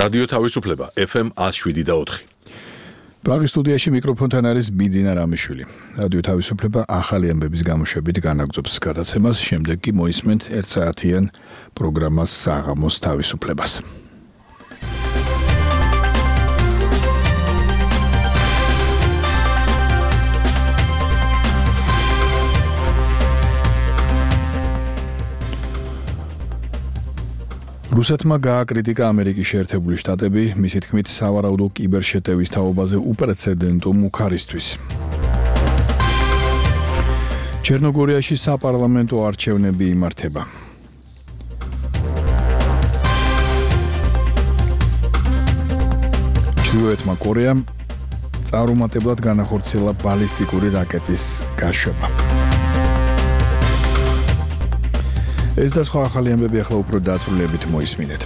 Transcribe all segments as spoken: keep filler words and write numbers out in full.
რადიო თავისუფლება ეფ ემ one oh seven და four. პრაღის სტუდიაში მიკროფონთან არის ბიძინა რამიშვილი. რადიო თავისუფლება ახალი ამბების გამოშვებით განაგრძობს გადაცემას, შემდეგ კი მოისმენთ ერთ საათიან პროგრამას საღამოს თავისუფლებას. რუსეთმა გააკრიტიკა ამერიკის შეერთებული შტატები, მისი თქმით, სავარაუდო კიბერშეტევის თაობაზე უპრეცედენტო მუქარისთვის. ჩერნოგორიაში საპარლამენტო არჩევნები იმართება. ჩრდილოეთმა კორეამ წარუმატებლად განახორციელა ბალისტიკური რაკეტის გაშვება. ეს და სხვა ახალი ამბები ახლა უფრო დაწვრილებით მოისმინეთ.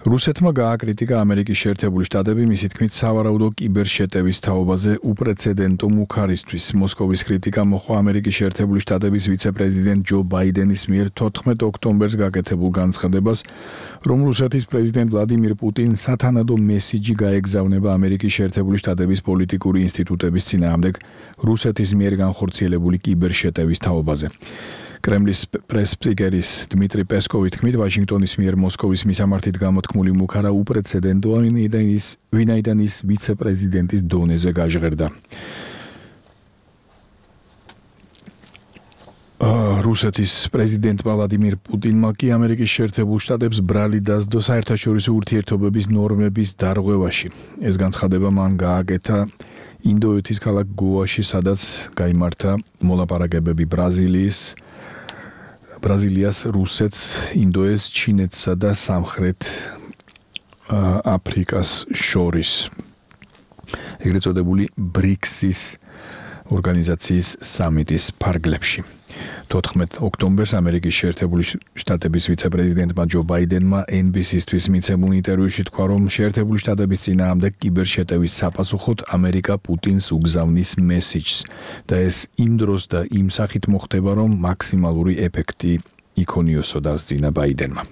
რუსეთმა გააკრიტიკა ამერიკის შეერთებული შტატები, მისი თქმით, სავარაუდო კიბერშეტევის თაობაზე უპრეცედენტო მუქარისთვის. მოსკოვის კრიტიკა მოჰყვა ამერიკის შეერთებული შტატების ვიცე-პრეზიდენტ ჯო ბაიდენის მიერ თოთხმეტ ოქტომბერს გაკეთებულ განცხადებას, რომ რუსეთის პრეზიდენტ ვლადიმირ პუტინი სათანადო მესიჯი გაეგზავნება ამერიკის შეერთებული შტატების პოლიტიკური ინსტიტუტების წინააღმდეგ რუსეთის მიერ განხორციელებული კიბერშეტევის თაობაზე. კრემლის პრეს-სპიკერის დმიტრი პესკოვი თქმით, ვაშინგტონის მიერ მოსკოვის მისამართით გამოთქმული მუქარა უპრეცედენტოა, ვინაიდან ის ვიცე-პრეზიდენტის დონეზე გაჟღერდა. რუსეთის პრეზიდენტმა ვლადიმირ პუტინმა კი ამერიკის შეერთებულ შტატებს ბრალი დასდო საერთაშორისო ურთიერთობების ნორმების დარღვევაში. ეს განცხადება მან გააკეთა ინდოეთის ქალაქ გოაში, სადაც გაიმართა მოლაპარაკებები ბრაზილიის ბრაზილიას, რუსეთს, ინდოეთს, ჩინეთსა და სამხრეთ აფრიკას შორის. ეგრეთ წოდებული ბრიქსის ორგანიზაციის სამიტის ფარგლებში. თოთხმეტ ოქტომბერს ამერიკის შეერთებული შტატების ვიცე-პრეზიდენტმა ჯო ბაიდენმა ენ ბი სი-თვის მიცემულ ინტერვიუში თქვა, რომ შეერთებული შტატების წინააღმდეგ კიბერშეტევის საპასუხოდ ამერიკა პუტინს უგზავნის მესიჯს და ეს იმ დროს და იმ სახით მოხდება, რომ მაქსიმალური ეფექტი იქონიოსო, დასძინა ბაიდენმა.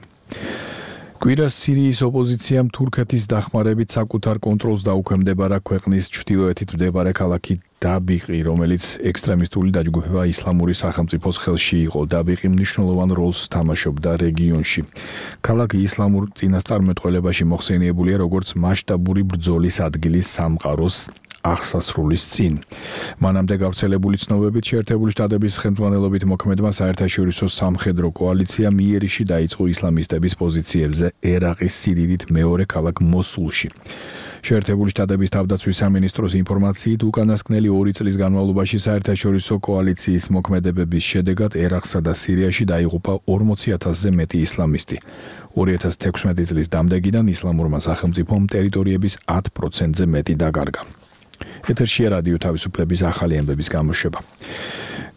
კვირას სირიის ოპოზიციამ თურქეთის დახმარებით საკუთარ კონტროლს დაუქვემდებარა ქვეყნის ჩრდილოეთით მდებარე ქალაქი დაბიყი, რომელიც ექსტრემისტული დაჯგუფება ისლამური სახელმწიფოს ხელში იყო. დაბიყი მნიშვნელოვან როლს თამაშობდა რეგიონში. ქალაქი ისლამურ წინასწარმეტყველებაში მოხსენიებულია როგორც მასშტაბური ბრძოლის ადგილი სამყაროს აღსასრულის წინ. მანამდე გავრცელებული ცნობებით შეერთებული შტატების ხელმძღვანელობით მოქმედმა საერთაშორისო სამხედრო კოალიციამ იერიში დაიწყო ისლამისტების პოზიციებზე ერაყის სიდიდით მეორე ქალაქ მოსულში. შეერთებული შტატების თავდაცვის სამინისტროს ინფორმაციით, უკანასკნელი ორი წლის განმავლობაში საერთაშორისო კოალიციის მოქმედებების შედეგად ერაყსა და სირიაში დაიღუპა ორმოცი ათასზე მეტი ისლამისტი. ორი ათას თექვსმეტი წლის დამდეგიდან ისლამურმა სახელმწიფომ ტერიტორიების ათ პროცენტზე მეტი დაკარგა. ეთერშია რადიო თავისუფლების ახალი ამბების გამოშვება.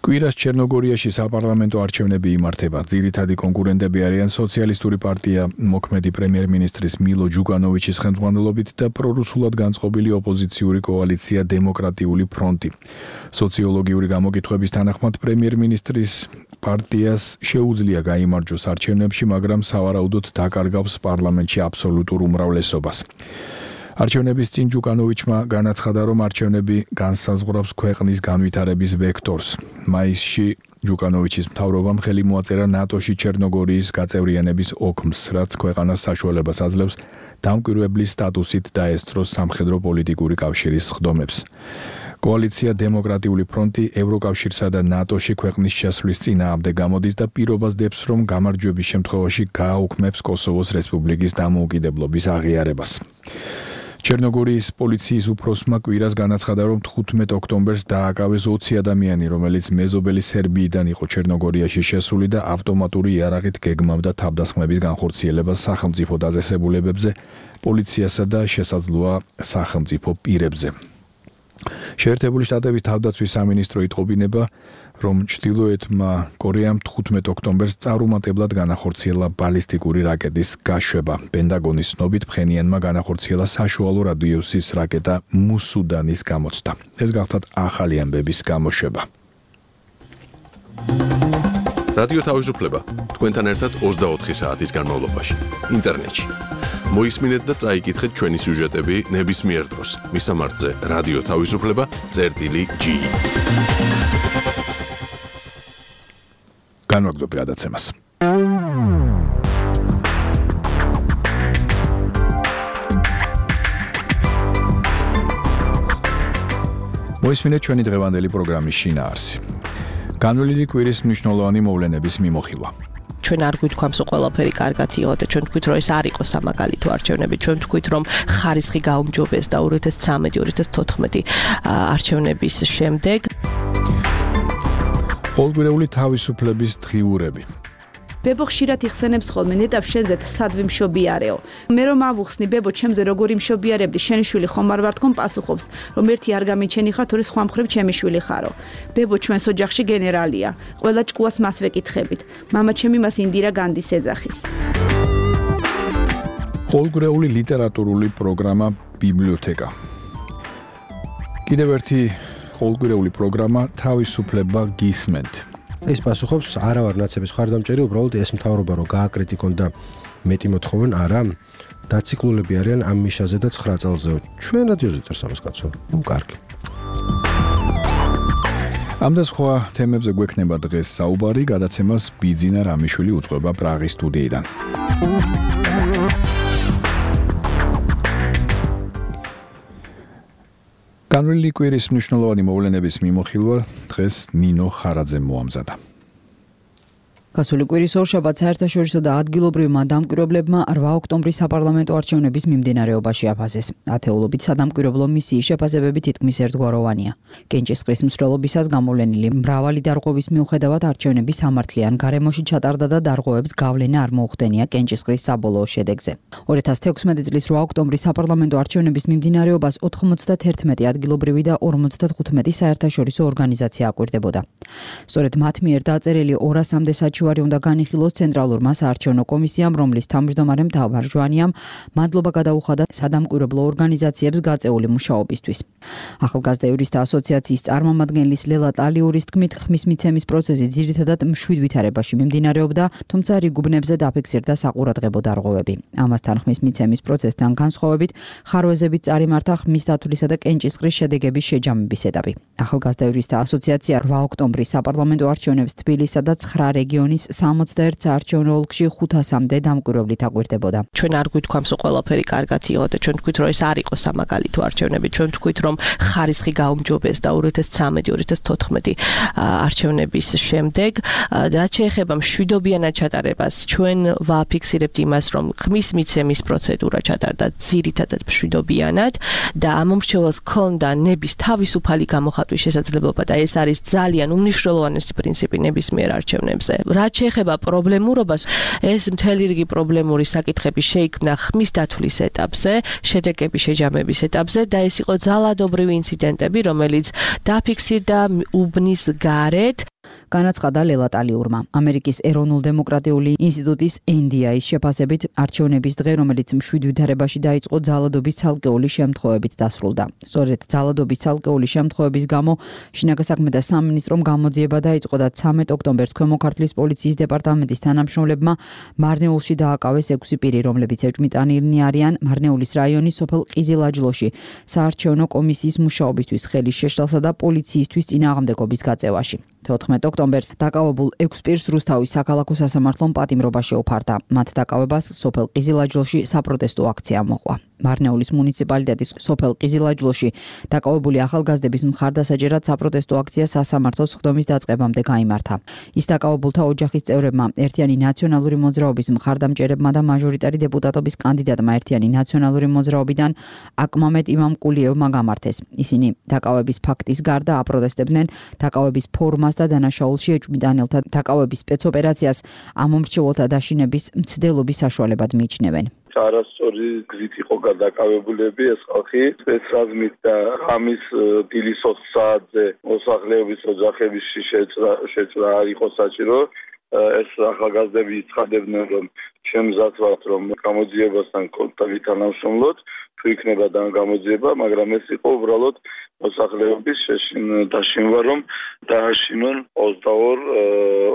კვირას ჩერნოგორიაში საპარლამენტო არჩევნები იმართება. ძირითადი კონკურენტები არიან სოციალისტური პარტია მოქმედი პრემიერ-მინისტრის მილო ჯუკანოვიჩის ხელმძღვანელობით და პრორუსულად განწყობილი ოპოზიციური კოალიცია დემოკრატიული ფრონტი. სოციოლოგიური გამოკითხვების თანახმად პრემიერ-მინისტრის პარტიას შეუძლია გაიმარჯვოს არჩევნებში, მაგრამ სავარაუდოდ დაკარგავს პარლამენტში აბსოლუტურ უმრავლესობას. არჩევნების წინ ჯუკანოვიჩმა განაცხადა, რომ არჩევნები განსაზღვრავს ქვეყნის განვითარების ვექტორს. მაისში ჯუკანოვიჩის მთავრობამ ხელი მოაწერა ნატოში ჩერნოგორიის გაწევრიანების ოქმს, რაც ქვეყანას საშუალებას აძლევს დამკვირვებლის სტატუსით დაესწროს სამხედრო-პოლიტიკური კავშირის სხდომებს. კოალიცია დემოკრატიული ფრონტი ევროკავშირსა და ნატოში ქვეყნის შესვლის წინააღმდეგ გამოდის და პირობას დებს, რომ გამარჯვების შემთხვევაში გააუქმებს კოსოვოს რესპუბლიკის დამოუკიდებლობის აღიარებას. ჩერნოგორიის პოლიციის უფროსმა კვირას განაცხადა, რომ თხუთმეტ ოქტომბერს დააკავეს ოცი ადამიანი, რომელიც მეზობელი სერბიიდან იყო ჩერნოგორიაში შესული და ავტომატური იარაღით გეგმავდა თავდასხმების განხორციელებას სახელმწიფო დაწესებულებებზე, პოლიციასა და შესაძლოა სახელმწიფო პირებზე. შეერთებული შტატების თავდაცვის სამინისტრო იტყობინება, რომ ჩრდილოეთმა კორეამ თხუთმეტ ოქტომბერს წარუმატებლად განახორციელა ბალისტიკური რაკეტის გაშვება. პენტაგონის ცნობით ფხენიანმა განახორციელა საშუალო რადიუსის რაკეტა მუსუდანის გამოცდა. ეს გახლავთ ახალი ამბების გამოშვება. რადიო თავისუფლება თქვენთან ერთად ოცდაოთხი საათის განმავლობაში ინტერნეტში. მოისმინეთ და წაიკითხეთ ჩვენი სიუჟეტები ნებისმიერ დროს მისამართზე რადიო თავისუფლება წერტილი ჯი. განვაგრძობთ გადაცემას. მოისმინეთ ჩვენი დღევანდელი პროგრამის შინაარსი. განვლილი კვირის მნიშვნელოვანი მოვლენების მიმოხილვა. ჩვენ არ გვითქვამს რომ ყველაფერი კარგად იყო და ჩვენ თქვით რომ ეს არ იყო სამაგალითო არჩევნები, ჩვენ თქვით რომ ხარისხი გაუმჯობეს და ორი ათას ცხრამეტი ორი ათას თოთხმეტი არჩევნების შემდეგ ყოველგვარეული თავისუფლების დღიურები. ბებო ხშირად იხსენებს ხოლმე ნეტავ შენზე სადვი მშობიარეო. მე რომ ავუხსნი ბებო ჩემზე როგორი მშობიარებდი, შენი შვილი ხომ არ ვარ თქონ პასუხობს, რომ ერთი არ გამიჩენი ხარ, თორე სხვა მხრივ ჩემი შვილი ხარო. ბებო ჩვენს ოჯახში გენერალია. ყველა ჭკუას მას ვეკითხებით. მამა ჩემი მას ინდირა განდის ეძახის. ყოველგვარეული ლიტერატურული პროგრამა ბიბლიოთეკა. კიდევ ერთი ყოველგვარეული პროგრამა თავისუფლება გისმენთ. ეს პასუხობს არა ვარ ნაცების ხარდამჭერი, უბრალოდ ეს მთავრობა რომ გააკრიტიკონ და მეტი მოთხოვენ, არა. დაციკლულები არიან ამ მიშაზე და ცხრა წელზე. ჩვენ რადიოზე წერს ამას კაცო. ნუ კარგი. ამ და სხვა თემებზე გვექნება დღეს საუბარი, გადაცემას ბიძინა რამიშვილი უძღვება პრაღის სტუდიიდან. განვლილი კვირის მნიშვნელოვანი მოვლენების მიმოხილვა დღეს ნინო ხარაძემ მოამზადა. გასული კვირის ორშაბათს საერთაშორისო და ადგილობრივმა დამკვირვებლებმა რვა ოქტომბრის საპარლამენტო არჩევნების მიმდინარეობაში აფასეს. ათეულობით სადამკვირვებლო მისიის შეფასებები თითქმის ერთგვაროვანია. კენჭისყრის მსვლელობისას გამოვლენილი მრავალი დარღვევის მიუხედავად არჩევნები სამართლიან გარემოში ჩატარდა და დარღვევებს გავლენა არ მოუხდენია კენჭისყრის საბოლოო შედეგზე. ორი ათას თექვსმეტი წლის რვა ოქტომბრის საპარლამენტო არჩევნების მიმდინარეობას ოთხმოცდაერთმეტი ადგილობრივი და ორმოცდათხუთმეტი საერთაშორისო ორგანიზაცია აკვირდებოდა. სწორედ მათ მიერ დაწერილი ორასამდე საჩივარი უნდა განიხილოს ცენტრალურმა საარჩევნო კომისიამ, რომლის თავმჯდომარემ თავარ ჟვანიამ მადლობა გადაუხადა სადამკვირვებლო ორგანიზაციებს გაწეული მუშაობისთვის. ახალგაზრდა იურისტთა ასოციაციის წარმომადგენლის ლელა ტალიურის თქმით, ხმის მიცემის პროცესი ძირითადად მშვიდ ვითარებაში მიმდინარეობდა, თუმცა რიგ-უბნებზე დაფიქსირდა საყურადღებო დარღვევები. ამასთან ხმის მიცემის პროცესთან განსხვავებით, ხარვეზებით წარიმართა ხმის დათვლისა და კენჭისყრის შედეგების შეჯამების ეტაპი. ახალგაზრდა იურისტთა ასოციაცია რვა ოქტომბრის საპარლამენტო არჩევნებს თბილისსა და ცხრა რეგიონის სამოცდაერთ საარჩევნო ოლქში ხუთასამდე დამკვირვებლით აკვირდებოდა. ჩვენ არ გვითქვამს რომ ყველაფერი კარგად იყო და ჩვენ თქვით რომ ეს არ იყო სამაგალითო არჩევნები, ჩვენ თქვით რომ ხარისხი გაუმჯობეს და ორი ათას ცხრამეტი ორი ათას თოთხმეტი არჩევნების შემდეგ, რაც შეეხება მშვიდობიანად ჩატარებას, ჩვენ ვაფიქსირებთ იმას, რომ ხმის მიცემის პროცედურა ჩატარდა ძირითადად მშვიდობიანად და ამ მომრჩეველს ჰქონდა ნების თავისუფალი გამოხატვის შესაძლებლობა და ეს არის ძალიან უმნიშვნელოვანესი პრინციპი ნებისმიერ არჩევნებზე. რაც შეეხება პრობლემურობას, ეს მთელი რიგი პრობლემური საკითხები შეიქმნა ხმის დათვლის ეტაპზე, შედეგების შეჯამების ეტაპზე და ეს იყო ძალადობრივი ინციდენტები, რომელიც დაფიქსირდა უბნის გარეთ. განაცხადა ლელა ტალიურმა. ამერიკის ეროვნულ-დემოკრატიული ინსტიტუტის ენ დი აის შეფასებით არჩევნების დღე, რომელიც მშვიდ ვითარებაში დაიწყო, ძალადობის ცალკეული შემთხვევებით დასრულდა. სწორედ ძალადობის ცალკეული შემთხვევების გამო შინაგან საქმეთა სამინისტრომ გამოძიება დაიწყო და ცამეტ ოქტომბერს ქვემო ქართლის პოლიციის დეპარტამენტის თანამშრომლებმა მარნეულში დააკავეს ექვსი პირი, რომლებიც ეჭვმიტანილნი არიან მარნეულის რაიონის სოფელ ყიზილაჯლოში საარჩევნო კომისიის მუშაობისთვის ხელის შეშლასა და პოლიციისთვის წინააღმდეგობის გაწევაში. თოთხმეტ ოქტომბერს დაკავებულ ექვს პირს რუსთავის საქალაქო სასამართლომ პატიმრობა შეუფარდა. მათ დაკავებას სოფელ ყიზილაჯლოში საპროტესტო აქცია მოყვა. მარნეულის მუნიციპალიტეტის სოფელ ყიზილაჯლოში დაკავებული ახალგაზრდების მხარდასაჭერად საპროტესტო აქცია სასამართლოს ხდომის დაწყებამდე გაიმართა. ის დაკავებულთა ოჯახის წევრებმა, ერთიანი ნაციონალური მოძრაობის მხარდამჭერებმა და მაჟორიტარი დეპუტატობის კანდიდატმა ერთიანი ნაციონალური მოძრაობიდან აკმამეტ იმამკულიევმა გამართეს. ისინი დაკავების ფაქტის გარდა აპროტესტებდნენ დაკავების ფორმას და დანაშაულში ეჭვმიტანელთა დაკავების სპეცოპერაციას ამ მომრჩეველთა დაშინების მცდელობის საშუალებად მიიჩნევენ. არასწორი გზით იყო გადაკავებულები ეს ხალხი სპეცრაზმით და ღამის დილის ოთხ საათზე მოსახლეობის ოჯახების შეჭრა არ იყო საჭირო. ეს ახალგაზრდები ცხადებდნენ რომ შემზად ვართ რომ გამოძიებასთან კონტაქტი თანამშრომლოთ თუ იქნება და გამოძიება, მაგრამ ეს იყო უბრალოდ მოსახლეობის დაშინვა, რომ დააშინონ ოცდაორი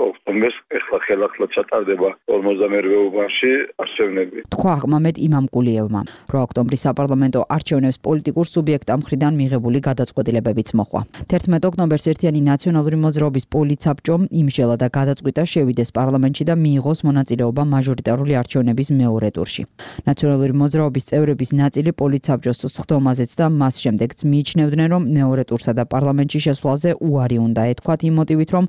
ოქტომბერს ეხლა ხელახლა ჩატარდება ორმოცდამერვე უბანში არჩევნები. თქვა აღმამედ იმამ კულიევმა, რომ ოქტომბრის საპარლამენტო არჩევნებს პოლიტიკურ სუბიექტთა მხრიდან მიღებული გადაწყვეტილებებიც მოხდა. თერთმეტ ოქტომბერს ერთიანი ნაციონალური მოძრაობის პოლიცაბჭომ იმსჯელა და გადაწყვიტა შევიდეს პარლამენტში და მიიღოს მონაწილეობა მაჟორიტარული არჩევნების მეორე ტურში. ნაციონალური მოძრაობის წევრების ნაწილი პოლიცაბჭოს სხდომაზეც და მას შემდეგც მიიჩნევდნენ, რომ მეორე ტურსა და პარლამენტში შესვლაზე უარი უნდა ეთქვათ იმ მოტივით, რომ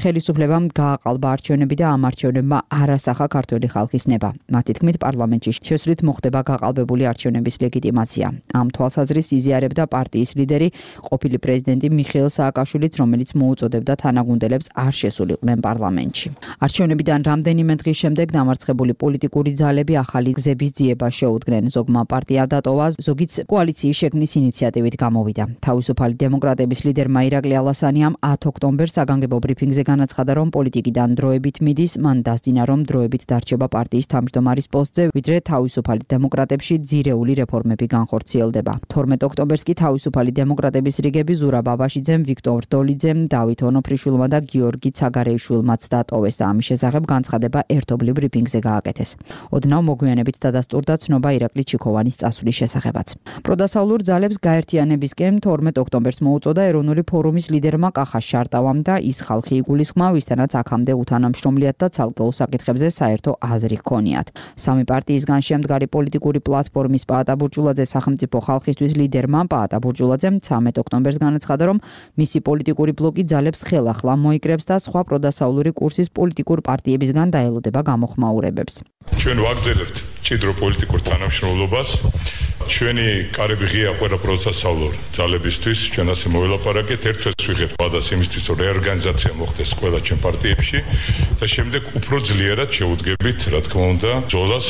ხელისუფლებამ გააყალბა არჩევნები და ამ არჩევნებმა არ ასახა ქართველი ხალხის ნება. მათი თქმით, პარლამენტში შესვლით მოხდება გაყალბებული არჩევნების ლეგიტიმაცია. ამ თვალსაზრისით იზიარებდა პარტიის ლიდერი, ყოფილი პრეზიდენტი მიხეილ სააკაშვილიც, რომელიც მოუწოდებდა თანაგუნდელებს არ შესულიყვნენ პარლამენტში. არჩევნებიდან რამდენიმე დღის შემდეგ დამარცხებული პოლიტიკური ძალები ახალი გზების ძიება შეუდგნენ. ზოგმა პარტია დატოვა, ზოგიც კოალიციის შექმნის ინიციატივით გამოვიდა. თავისუფალი დემოკრატების ლიდერმა ირაკლი ალასანიამ ათი ოქტომბერს საგანგებო ბრიფინგზე განაცხადა, რომ პოლიტიკიდან დროებით მიდის, მან დასძინა, რომ დროებით დარჩება პარტიის თავმჯდომარის პოსტზე, ვიდრე თავისუფალი დემოკრატებში ძირეული რეფორმები განხორციელდება. თორმეტ ოქტომბერს კი თავისუფალი დემოკრატების რიგები ზურაბ ბაბაშიძემ, ვიქტორ დოლიძემ, დავით ონოფრიშვილმა და გიორგი ცაგარეიშვილმაც დატოვეს და ამის შესახებ განცხადება ერთობლივ ბრიფინგზე გააკეთეს. ოდნავ მოგვიანებით დადასტურდა ცნობა ირაკლი ჩიქოვანის წასვლის შესახებაც. პროდასავლურ ძალებს გაერთიანებისკენ თორმეტ ოქტომბერს მოუწოდა ეროვნული ფორუმის ლიდერმა კახა შარტავამ და ის ხალხი იგულისხმა, ვისთანაც აქამდე უთანამშრომლიათ და ცალკეულ საკითხებზე საერთო აზრი ჰქონიათ. სამი პარტიისგან შემდგარი პოლიტიკური პლატფორმის პაატა ბურჯულაძე სახელმწიფო ხალხისთვის ლიდერმა პაატა ბურჯულაძემ ცამეტ ოქტომბერს განაცხადა, რომ მისი პოლიტიკური ბლოკი ძალებს ხელახლა მოიკრებს და სხვა პროდასავლური კურსის პოლიტიკურ პარტიებისგან დაელოდება გამოხმაურებებს. ჩვენ ვაგრძელებთ მჭიდრო პოლიტიკურ თანამშრომლობას. ჩვენი კარები ღია ყველა პროდასავლურ ძალებისთვის. ჩვენ ასე მოველაპარაკეთ, ერთ-ერთს ვიღებთ ვადას იმისთვის, რომ რეორგანიზაცია მოხდეს ყველა ჩვენ პარტიებში და შემდეგ უფრო ძლიერად შევუდგებით, რა თქმა უნდა, ბრძოლას.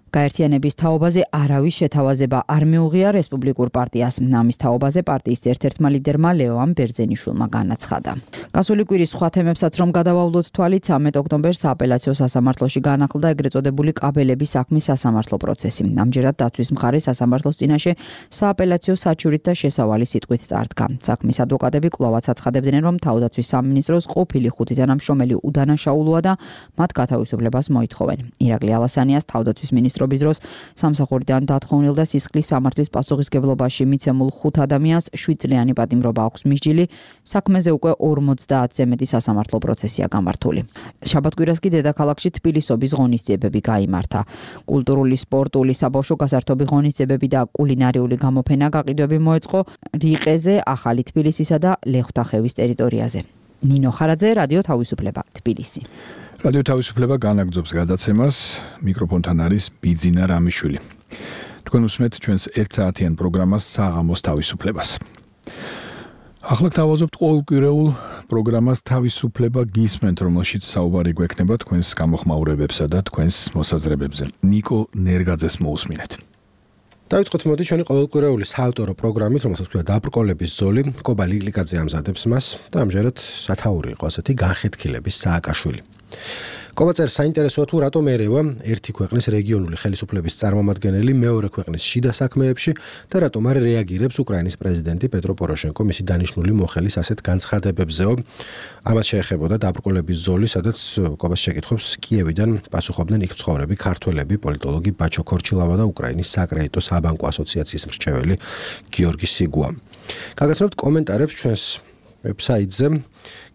გაერთიანების თაობაზე არავის შეთავაზება არ მიუღია რესპუბლიკურ პარტიას. ამის თაობაზე პარტიის ერთ-ერთმა ლიდერმა ლეოან ბერძენიშვილმა განაცხადა. გასული კვირის სხვა თემებსაც რომ გადავავლოთ თვალით, ცამეტ ოქტომბერს სააპელაციო სასამართლოში განახლდა ეგრეთ წოდებული კაბელების საქმის სასამართლო პროცესი. ამჯერად დაცვის მხარე სასამართლოს წინაშე სააპელაციო საჩივრით და შესავალი სიტყვით წარდგა. საქმის ადვოკატები კვლავაც აცხადებდნენ, რომ თავდაცვის სამინისტროს ყოფილი ხუთი თანამშრომელი უდანაშაულოა და მათ გათავისუფლებას მოითხოვენ. ირაკლი ალასანიას თავდაცვის მინისტრო დროს სამსახურიდან დათხოვნილ და სისხლის სამართლის პასუხისგებლობაში მიცემულ ხუთ ადამიანს შვიდ წლიანი პატიმრობა აქვს მისჯილი. საქმეზე უკვე ორმოცდაათზე მეტი სასამართლო პროცესია გამართული. შაბათ-კვირას კი დედაქალაქში თბილისობის ღონისძიებები გაიმართა. კულტურული, სპორტული, საბავშვო გასართობი ღონისძიებები და კულინარიული გამოფენა გაყიდვები მოეწყო რიყეზე, ახალი თბილისისა და ლეხვთახევის ტერიტორიაზე. ნინო ხარაძე, რადიო თავისუფლება, თბილისი. რადიო თავისუფლება განაგრძობს გადაცემას. მიკროფონთან არის ბიძინა რამიშვილი. თქვენ უსმენთ ჩვენს ერთ საათიან პროგრამას საღამოს თავისუფლებას. ახლა გთავაზობთ ყოველკვირეულ პროგრამას თავისუფლება გისმენთ, რომელშიც საუბარი გვექნება თქვენს გამოხმაურებებსა და თქვენს მოსაზრებებზე. ნიკო ნერგაძეს მოусმინეთ. დავიწყოთ მოდი ჩვენი ყოველკვირეული საავტორო პროგრამით, რომელსაც ქვია დაბრკოლების ზოლი. კობა ლიკლიკაძე ამზადებს მას და ამჯერად სათაური იყო ასეთი განხეთქილების სააკაშვილი. კობა წერს, საინტერესოა თუ რატომ ერევა ერთი ქვეყნის რეგიონული ხელისუფლების წარმომადგენელი მეორე ქვეყნის შიდა საქმეებში და რატომ არ რეაგირებს უკრაინის პრეზიდენტი პეტრო პოროშენკო მისი დანიშნული მოხელის ასეთ განცხადებებზეო. ამას შეეხებოდა დაბრკოლების ზოლი, სადაც კობას შეკითხვებს კიევიდან პასუხობდნენ იქ მცხოვრები ქართველები, პოლიტოლოგი ბაჩო ქორჩილავა და უკრაინის საკრედიტო საბანკო ასოციაციის მრჩეველი გიორგი სიგუა. გაგაცნობთ კომენტარებს ჩვენს ვებსაიტზე.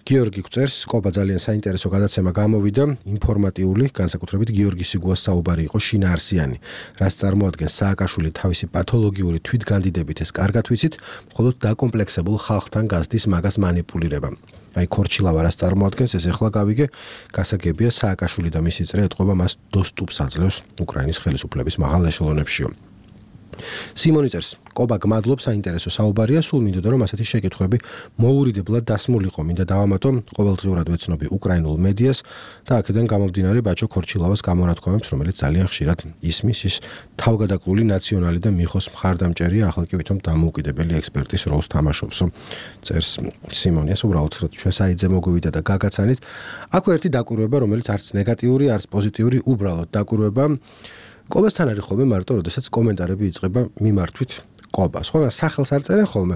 გიორგი გვწერს, კობა ძალიან საინტერესო გადაცემა გამოვიდა, ინფორმატიული, განსაკუთრებით გიორგი სიგუას საუბარი იყო შინაარსიანი. რაც წარმოადგენს სააკაშვილი თავისი პათოლოგიური თვითგანდიდებით ეს კარგად ვიცით, მხოლოდ დაკომპლექსებულ ხალხთან გაზდის მაგას მანიპულირება. აი ქორჩილავა რაც წარმოადგენს, ეს ახლა გავიგე, გასაგებია სააკაშვილი და მისი წრე ეტყობა მას достуპს აძლევს უკრაინის ხელისუფლების მაღალ ეშელონებშიო. სიმონი წერს, კობა გმადლობ, საინტერესო საუბარია, სულ მინდოდა რომ ასეთი შეკითხვები მოურიდებლად დასმულიყო, მინდა დავამატო ყოველდღიურად ვეცნობი უკრაინულ მედიას და აქედან გამომდინარე ბაჩო ქორჩილავას გამონათქვამებს, რომელიც ძალიან ხშირად ისმის ის თავგადაკლული ნაციონალი და მიხოს მხარდამჭერია, ახლა კი ვითომ დამოუკიდებელი ექსპერტის როლს თამაშობსო. წერს სიმონიას, უბრალოდ ჩვენ საიტზე მოგვივიდა და გაგაცანით. აქვე ერთი დაკვირვება, რომელიც არც ნეგატიური, არც პოზიტიური, უბრალოდ დაკვირვება. კობასთან არის ხოლმე მარტო, როდესაც კომენტარები იწყება მიმართვით კობას. ხოლმე სახელს არ წერენ ხოლმე.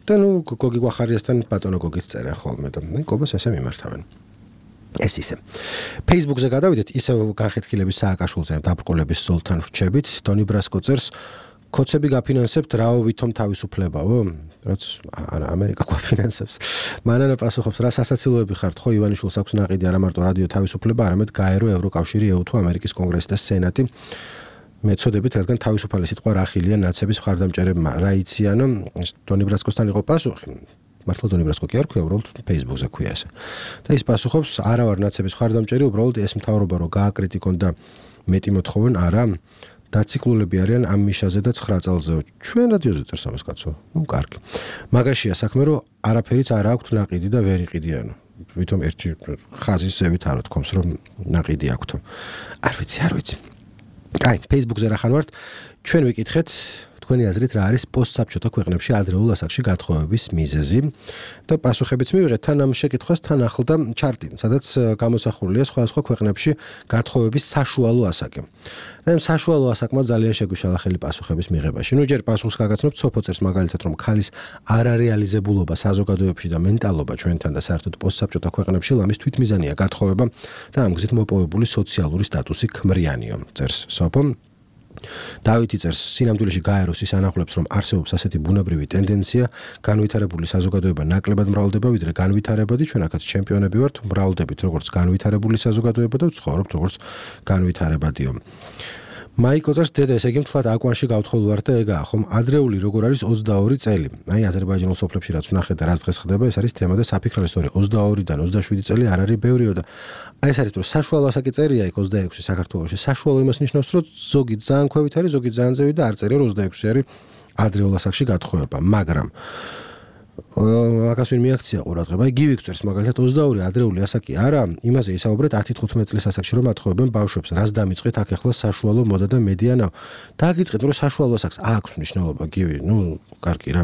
და ნუ გოგი გვახარიასთან ბატონო გოგით წერენ ხოლმე და მეკობას ესე მიმართავენ. ეს ისე. Facebook-ზე გადავიდეთ, ისევ განხეთქილების სააკაშვილზე დაბრკოლების ზოლთან ვრჩებით, დონი ბრასკო წერს კოცები გაფინანსებთ რაო ვითომ თავისუფლებაო? რაც არა ამერიკა გვაფინანსებს. მანანა პასუხობს რა სასაცილოები ხართ, ხო ივანიშვილს აქვს ნაყიდი არა მარტო რადიო თავისუფლება, არამედ გაერო ევროკავშირი, ე უ თუ ამერიკის კონგრესი და სენატი. მეცოდებით, რადგან თავისუფალი სიტყვა რა ხილია ნაცების მხარდამჭერებმა, რა იციანო, დონი ბრასკოსთან იყო პასუხი. მართლა დონი ბრასკო კი არ ქვია, უბრალოდ Facebook-ზე ქვია ესე. და ის პასუხობს, არა ვარ ნაცების მხარდამჭერი, უბრალოდ ეს მთავრობა რო გააკრიტიკონ და მეტი მოთხოვენ, არა დაციკლულები არიან ამ მიშაზე და ცხრა წელზე. ჩვენ რადიოზე წერს ამას კაცო. ნუ კარგი. მაგაშია საქმე, რომ არაფერიც არ აქვს ნაყიდი და ვერ იყიდიანო. ვითომ ერთი ხაზის ზევით არ თქოს, რომ ნაყიდი აქვს. არ ვიცი, არ ვიცი. კაი, Facebook-ზე რა ხან ვართ? ჩვენ ვიკითხეთ თქვენი აზრით რა არის პოსტსაბჭოთა ქვეყნებში ადრეულ ასაკში გათხოვების მიზეზი და პასუხებიც მივიღეთ თან ამ შეკითხვას თან ახლდა ჩარტი, სადაც გამოსახულია სხვადასხვა ქვეყნებში გათხოვების საშუალო ასაკი. და ამ საშუალო ასაკმა ძალიან შეგვიშალა ხელი პასუხების მიღებაში. ნუ ჯერ პასუხს გაგაცნობ სოფო წერს მაგალითად, რომ ქალის არარეალიზებულობა საზოგადოებაში და მენტალობა ჩვენთან და საერთოდ პოსტსაბჭოთა ქვეყნებში ლამის თვითმიზანია გათხოვება და ამ გზით მოპოვებული სოციალური სტატუსი ქმრიანიო. წერს სოფო. დავითი წერს სინამდვილეში გაეროს ის ანახულებს, რომ არსებობს ასეთი ბუნებრივი ტენდენცია, განვითარებული საზოგადოება ნაკლებად მრავლდება, ვიდრე განვითარებადი, ჩვენ აქაც ჩემპიონები ვართ, მრავლდებით როგორც განვითარებული საზოგადოება და ვცხოვრობთ როგორც განვითარებადიო. მაიკო წერს დედა, ესე იგი მთლად აკვანში გავთხოვილ ვარ და ეგაა, ხომ ადრეული როგორ არის ოცდაორი წელი. აი აზერბაიჯანულ სოფლებში რაც ვნახეთ და რაც დღეს ხდება, ეს არის თემა და საფიქროა სწორი ოცდაორიდან ოცდაშვიდი წელი არ არის ბევრიო და აი ეს არის რომ საშუალო ასაკი წერია იქ ოცდაექვსი საქართველოში. საშუალო იმას ნიშნავს, რომ ზოგი ძალიან ქვევით არის, ზოგი ძალიან ზევით და არ წერია რომ ოცდაექვსი არის ადრეულ ასაკში გათხოვება, მაგრამ მაგას ვინ მიაქცია ყურადღება. აი გივი წერს მაგალითად ოცდაორი ადრეული ასაკი არა, იმაზე ისაუბრეთ ათი თხუთმეტი წლის ასაკში რომ ათხოვებენ ბავშვებს. რას დამიწყეთ აქ ახლა საშუალო მოდა და მედიანა. დაგიწყეთ რომ საშუალო ასაკს აქვს მნიშვნელობა გივი, ნუ კარგი რა.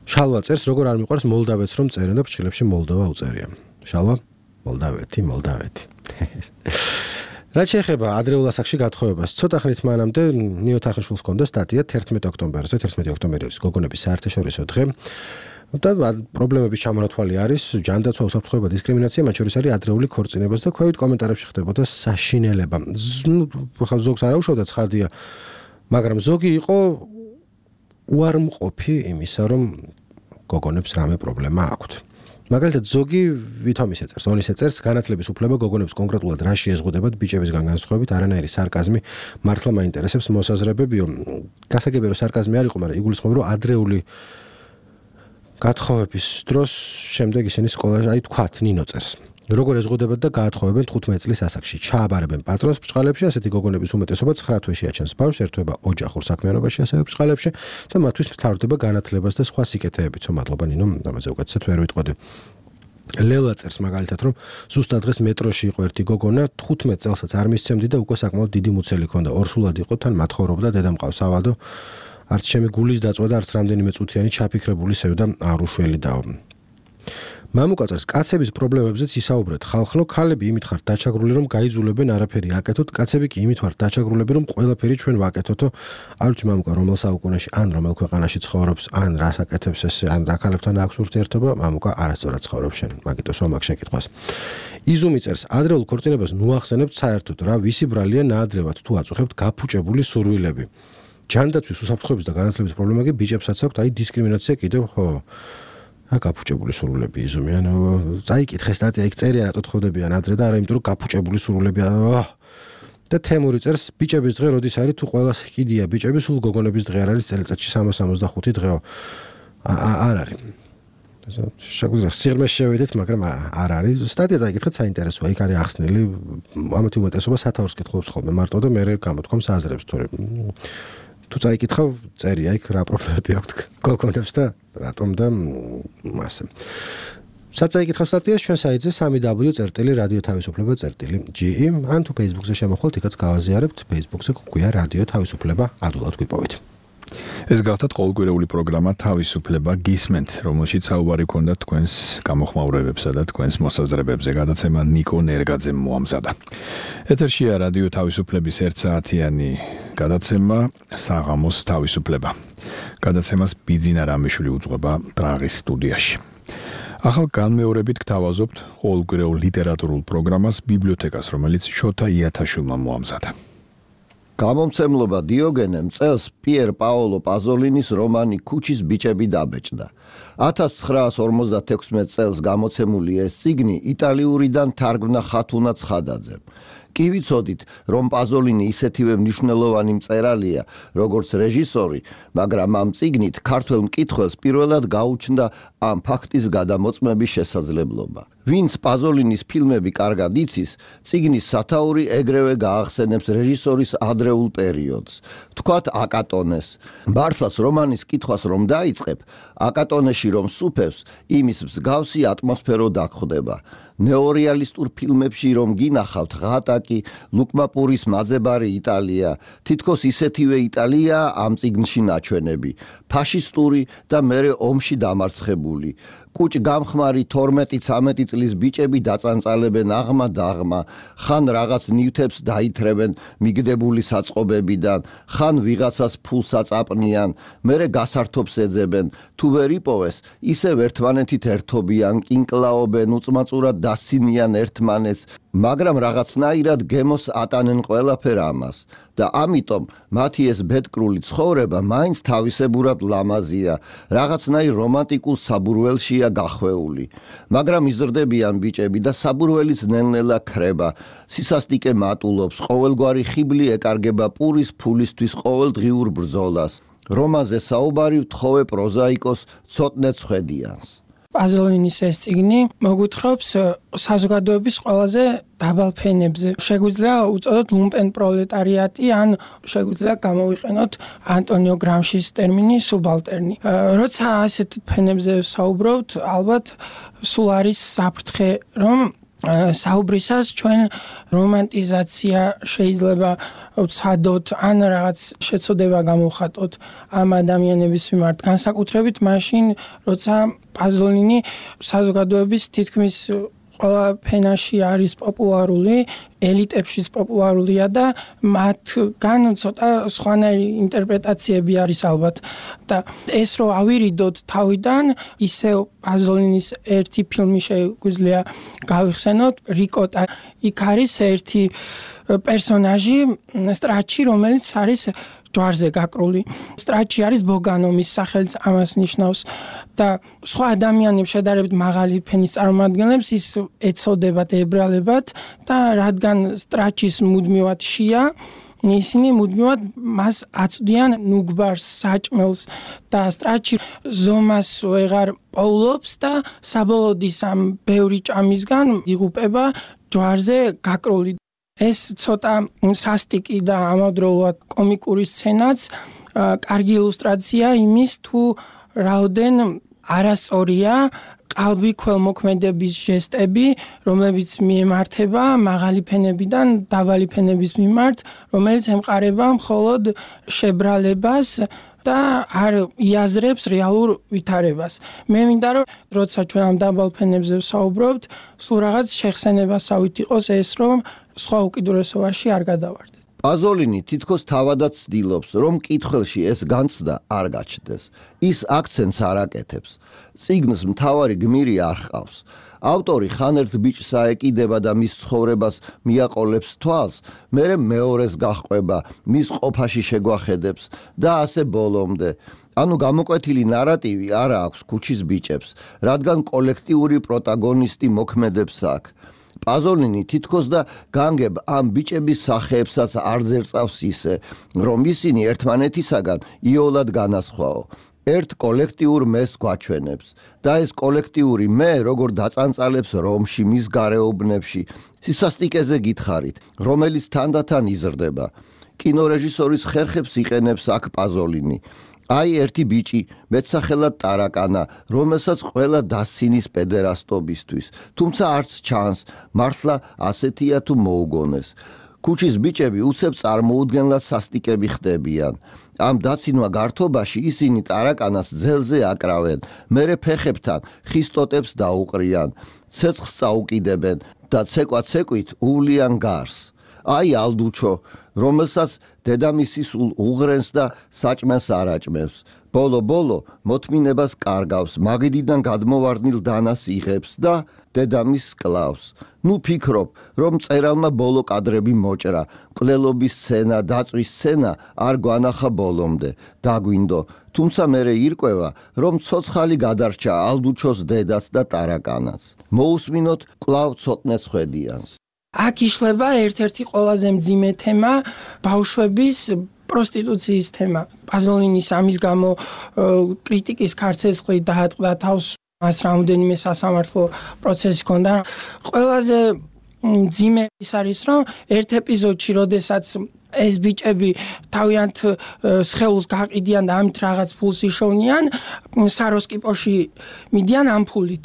შალვა წერს როგორ არ მიყვარს მოლდავეთს რომ წერენ და ფრჩილებში მოლდოვა უწერია. შალვა მოლდავეთი, მოლდავეთი. რაც შეეხება ადრეულ ასაკში გათხოვებას, ცოტა ხნით მანამდე ნიო თარხნიშვილს ჰქონდა სტატია თერთმეტი ოქტომბერზე, თერთმეტი ოქტომბერი არის გოგონების საერთაშორისო დღე. და პრობლემების ჩამონათვალი არის ჯანდაცვა, უსაფრთხოება, დისკრიმინაცია, მათ შორის არის ადრეული ქორწინებას და ქვევით კომენტარებში ხდებოდა საშინელება. ხა ზოგს არ აუშავდა ცხადია, მაგრამ ზოგი იყო უარმყოფი იმისა, რომ გოგონებს რამე პრობლემა აქვთ. მაგალითად ზოგი ვითომ ისე წერს, ონისე წერს, განათლების უფლება გოგონებს კონკრეტულად რა შეეზღუდებათ ბიჭებისგან განსხვავებით, არანაირი სარკაზმი მართლა მაინტერესებს მოსაზრებებიო. გასაგებია რომ სარკაზმი არ იყო, მაგრამ იგულისხმება რომ ადრეული გათხოვების დროს შემდეგ ისინი სკოლაში, აი თქვათ, ნინო წერს. როგორ ეზღუდებათ და გაათხოვებენ თხუთმეტი წლის ასაკში. ჩააბარებენ პატრონს ბრჭყალებში, ასეთი გოგონების უმეტესობა ცხრა თვეში აჩენს ბავშვს, ერთვება ოჯახურ საქმიანობაში, ასევე ბრჭყალებში და მათთვის მთავრდება განათლებას და სხვა სიკეთეებიც. მადლობა ნინო, ამაზე უკეთესად ვერ ვიტყოდი. ლელა წერს მაგალითად, რომ ზუსტად დღეს მეტროში იყო ერთი გოგონა, თხუთმეტ წელსაც არ მისცემდი და უკვე საკმაოდ დიდი მუცელი ჰქონდა. ორსულად იყო, თან მათხოვრობდა, დედა მყავს ავადო. არც ჩემი გულის დაწვა და არც რამდენიმე წუთიანი ჩაფიქრებული სევდა არ უშველი დაო. მამუკა წერს, კაცების პრობლემებზეც ისაუბრეთ. ხალხნო, ქალები იმით ხართ დაჩაგრული, რომ გაიძულებენ არაფერი აკეთოთ, კაცები კი იმით ვართ დაჩაგრულები, რომ ყველაფერი ჩვენ ვაკეთოთო. არ ვიცი მამუკა რომელ საუკუნეში, ან რომელ ქვეყანაში ცხოვრობს, ან რას აკეთებს ეს, ან რა ქალებთან აქვს ურთიერთობა, მამუკა არასწორად ცხოვრობს შენ. მაგიტოს ვამაგ შეკითხვას. იზუმი წერს, ადრეულ ქორწინებას ნუახსენებთ საერთოდ რა, ვისი ბრალია ნაადრევად თუ აწუხებთ გაფუჭებული სურვილები. ჯანდაცვის, უსაფრთხოების და განათლების პრობლემა კი ბიჭებსაც აქვს, აი დისკრიმინაცია კიდევ ხო. რა გაფუჭებული სურვილები იზომი, ანუ წაიკითხე სტატია, იქ წერია რატო თხოვდებიან ადრე და არა იმიტომ რომ გაფუჭებული სურვილები და თემური წერს, ბიჭების დღე როდის არის თუ ყველას კიდია ბიჭები, სულ გოგონების დღე არ არის წელიწადში სამას სამოცდახუთი დღეო. არ არის. შეგვიძლია სიღრმეში შევიდეთ, მაგრამ არ არის. სტატია წაიკითხეთ, საინტერესოა, იქ არის ახსნილი, ამათი უმეტესობა სათაურს კითხულობს ხოლმე მარტო და მე გამოთქვამს აზრებს თორე თუ წაიკითხავ, წერია იქ რა პრობლემები აქვთ გოგონებს და რატომ და ასე. საწაიკითხავ სტატიას ჩვენ საიტზე სამი დაბლიუ წერტილი რადიო თავისუფლება წერტილი ჯი ი ან თუ Facebook-ზე შემოხვალთ, იქაც გავაზიარებთ, Facebook-ზე გვია რადიო თავისუფლება, ადვილად გვიპოვეთ. ეს გახლავთ ყოველკვირეული პროგრამა თავისუფლება გისმენთ, რომელშიც საუბარი ქონდა თქვენს გამოხმაურებებსა და თქვენს მოსაზრებებზე. გადაცემა ნიკო ნერგაძემ მოამზადა. ეთერშია რადიო თავისუფლების ერთ საათიანი გადაცემა საღამოს თავისუფლება. გადაცემას ბიძინა რამიშვილი უძღვება პრაღის სტუდიაში. ახალ განმეორებით გთავაზობთ ყოველკვირეულ ლიტერატურულ პროგრამას ბიბლიოთეკას, რომელიც შოთა იათაშვილმა მოამზადა. გამომცემლობა დიოგენემ წელს პიერ პაოლო პაზოლინის რომანი ქუჩის ბიჭები დაბეჭდა. ათას ცხრაას ორმოცდათექვსმეტ წელს გამოცემული ეს წიგნი იტალიურიდან თარგმნა ხათუნა ცხადაძემ. კი ვიცოდით, რომ პაზოლინი ისეთივე მნიშვნელოვანი მწერალია, როგორც რეჟისორი, მაგრამ ამ წიგნით ქართველ მკითხველს პირველად გაუჩნდა ამ ფაქტის გადამოწმების შესაძლებლობა. ვინც პაზოლინის ფილმები კარგად იცის, წიგნის სათაური ეგრევე გაახსენებს რეჟისორის ადრეულ პერიოდს. თქვათ აკატონეს. მართლაც რომანის კითხვას რომ დაიწყებ, აკატონეში რომ სუფევს, იმის მსგავსი ატმოსფერო დაგხვდება. ნეორეალისტურ ფილმებში რომ გინახავთ ღატაკი, ლუკმაპურის მაძებარი იტალია, თითქოს ისეთივე იტალიაა ამ წიგნში ნაჩვენები, ფაშისტური და მერე ომში დამარცხებული. კუჭ გამხმარი თორმეტი ცამეტი წლის ბიჭები დაწანწალებენ აღმა და აღმა, ხან რაღაც ნივთებს დაითრევენ მიგდებული საწყობებიდან, ხან ვიღაცას ფულს აწაპნიან, მერე გასართობს ეძებენ, თუ ვერ იპოვეს, ისევ ერთმანეთით ერთობიან, კინკლაობენ, უწმაწურად დასცინიან ერთმანეთს, მაგრამ რაღაცნაირად გემოს ატანენ ყველაფერ ამას. და ამიტომ მათი ეს ბედკრული ცხოვრება მაინც თავისებურად ლამაზია, რაღაცნაირ რომანტიკულ საბურველშია გახვეული. მაგრამ იზრდებიან ბიჭები და საბურველიც ნელ-ნელა ქრება, სისასტიკე მატულობს, ყოველგვარი ხიბლი ეკარგება პურის ფულისთვის ყოველდღიურ ბრძოლას. რომანზე საუბარი ვთხოვე პროზაიკოს ცოტნე ცხვედიანს. პაზოლინის ეს წიგნი მოგვითხრობს საზოგადოების ყველაზე დაბალ ფენებზე. შეგვიძლია უწოდოთ ლუმპენ პროლეტარიატი, ან შეგვიძლია გამოვიყენოთ ანტონიო გრამშის ტერმინი სუბალტერნი. როცა ასეთ ფენებზე საუბრობთ, ალბათ სულ არის საფრთხე, რომ საუბრისას ჩვენ რომანტიზაცია შეიძლება ვცადოთ, ან რაღაც შეცოდება გამოვხატოთ ამ ადამიანების მიმართ, განსაკუთრებით მაშინ, როცა პაზოლინი საზოგადოების თითქმის ყველა ფენაში არის პოპულარული, ელიტებშიც პოპულარულია და მათგან ცოტა სხვანაირი ინტერპრეტაციები არის ალბათ. და ეს რო ავირიდოთ თავიდან, ისევ პაზოლინის ერთი ფილმი შეგვიძლია გავიხსენოთ, რიკოტა. იქ არის ერთი პერსონაჟი, სტრაჩი, რომელიც არის ჯვარზე გაკრული. სტრაჩი არის ბოგანომის სახელიც ამას ნიშნავს და სხვა ადამიანებს შედარებით მაღალი ფენის წარმომადგენლებს ის ეცოდებათ, ებრალებათ და რადგან სტრაჩის მუდმივად შია, ისინი მუდმივად მას აწვდიან ნუგბარს, საჭმელს და სტრაჩი ზომას ვეღარ პოულობს და საბოლოოდ ის ამ ბევრი ჭამისგან იღუპება ჯვარზე გაკრული. ეს ცოტა სასტიკი და ამავდროულად კომიკური სცენაც კარგი ილუსტრაცია იმის, თუ რაოდენ არასწორია ყალბი ქველმოქმედების ჟესტები, რომლებიც მიემართება მაღალი ფენებიდან დაბალი ფენების მიმართ, რომელიც ემყარება მხოლოდ შებრალებას და არ იაზრებს რეალურ ვითარებას. მე მინდა რომ როცა ჩვენ ამ დაბალ ფენებზე ვსაუბრობთ, სულ რაღაც შეხსენებასავით იყოს ეს, რომ სხვა უკიდურესობაში არ გადავარდეთ. პაზოლინი თითქოს თავადაც ცდილობს, რომ კითხველში ეს განცდა არ გაჩნდეს. ის აქცენტს არ აკეთებს. წიგნს მთავარი გმირი არ ჰყავს. ავტორი ხან ერთ ბიჭს აეკიდება და მის ცხოვრებას მიაყოლებს თვალს, მერე მეორეს გაჰყვება, მის ყოფაში შეგვახედებს და ასე ბოლომდე. ანუ გამოკვეთილი ნარატივი არ აქვს ქუჩის ბიჭებს, რადგან კოლექტიური პროტაგონისტი მოქმედებს აქ. პაზოლინი თითქოს და განგებ ამ ბიჭების სახეებსაც არ ძერწავს ისე, რომ ისინი ერთმანეთისაგან იოლად განასხვაო. ერთ კოლექტიურ მეს გვაჩვენებს და ეს კოლექტიური მე როგორ დაწანწალებს რომში, მის გარეუბნებში, სისასტიკეზე გითხარით, რომელიც თანდათან იზრდება. კინორეჟისორის ხერხებს იყენებს აქ პაზოლინი. აი ერთი ბიჭი, მეცახელად ტარაკანა, რომელსაც ყველა დასცინის პედერასტობისთვის, თუმცა არც ჩანს, მართლა ასეთია თუ მოუგონეს. ქუჩის ბიჭები უცებ წარმოუდგენლად სასტიკები ხდებიან. ამ დაცინვა გართობაში ისინი ტარაკანას ძელზე აკრავენ, მერე ფეხებთან ხისტოტებს დაუყრიან, ცეცხლს წაუკიდებენ და ცეკვა-ცეკვით უვლიან გარს. აი ალდუჩო, რომელსაც დედამისი სულ უღრენს და საჭმელს არაჭმევს. ბოლო-ბოლო მოთმინებას კარგავს, მაგიდიდან გადმოვარდნილ დანას იღებს და დედამის კლავს. ნუ ფიქრობ, რომ წერალმა ბოლო კადრები მოჭრა, მკვლელობის სცენა, დაწვის სცენა არ გვანახა ბოლომდე. დაგვინდო, თუმცა მერე ირკვევა, რომ ცოცხალი გადარჩა ალდუჩოს დედაც და ტარაკანაც. მოусმინოთ კვლავ ცოტნე ხვედიანს. აქ იშლება ერთ-ერთი ყველაზე მძიმე თემა ბავშვების პროსტიტუციის თემა. პაზოლინის ამის გამო კრიტიკის ქარცეცხლი დაატყდა თავს, მას რამდენიმე სასამართლო პროცესი ჰქონდა. ყველაზე მძიმე ის არის, რომ ერთ ეპიზოდში, როდესაც ეს ბიჭები თავიანთ სხეულს გაყიდიან და ამით რაღაც ფულს იშოვნიან, საროსკიპოში მიდიან ამ ფულით.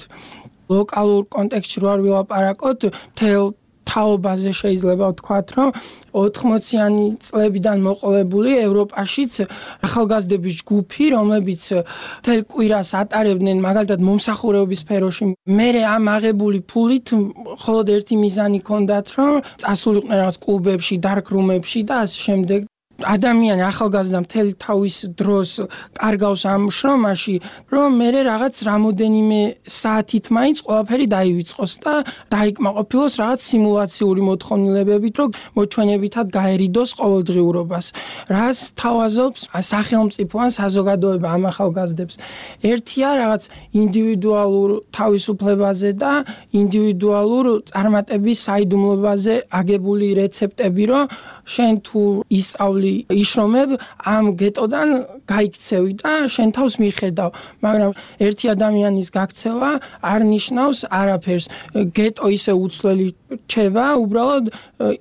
ლოკალურ კონტექსტში რო არ ვილაპარაკოთ, თელ თაობაზე შეიძლება ვთქვათ, რომ ოთხმოციანი წლებიდან მოყოლებული ევროპაშიც ახალგაზრდების ჯგუფი, რომლებიც თელ კვირას ატარებდნენ მაგალითად მომსახურეობის სფეროში, მერე ამ აღებული ფულით მხოლოდ ერთი მიზანი ჰქონდათ, რომ წასულიყვნენ რაღაც კლუბებში, დარკ-რუმებში და ასე შემდეგ. ადამიანი ახალგაზრდა მთელი თავის დროს კარგავს ამ შრომაში, რომ მერე რაღაც რამოდენიმე საათით მაინც ყველაფერი დაივიწყოს და დაიკმაყოფილოს რაღაც სიმულაციური მოთხოვნილებებით, რომ მოჩვენებითად გაერიდოს ყოველდღიურობას. რას თავაზობს სახელმწიფო ან საზოგადოება ამ ახალგაზრდებს? ერთია რაღაც ინდივიდუალურ თავისუფლებაზე და ინდივიდუალურ წარმატების საიდუმლოებაზე აგებული რეცეპტები, რომ შენ თუ ისწავლი იშრომებ ამ გეტოდან გაიქცევი და შენ თავს მიხედავ, მაგრამ ერთი ადამიანის გაქცევა არ ნიშნავს არაფერს. გეტო ისე უცვლელი რჩება, უბრალოდ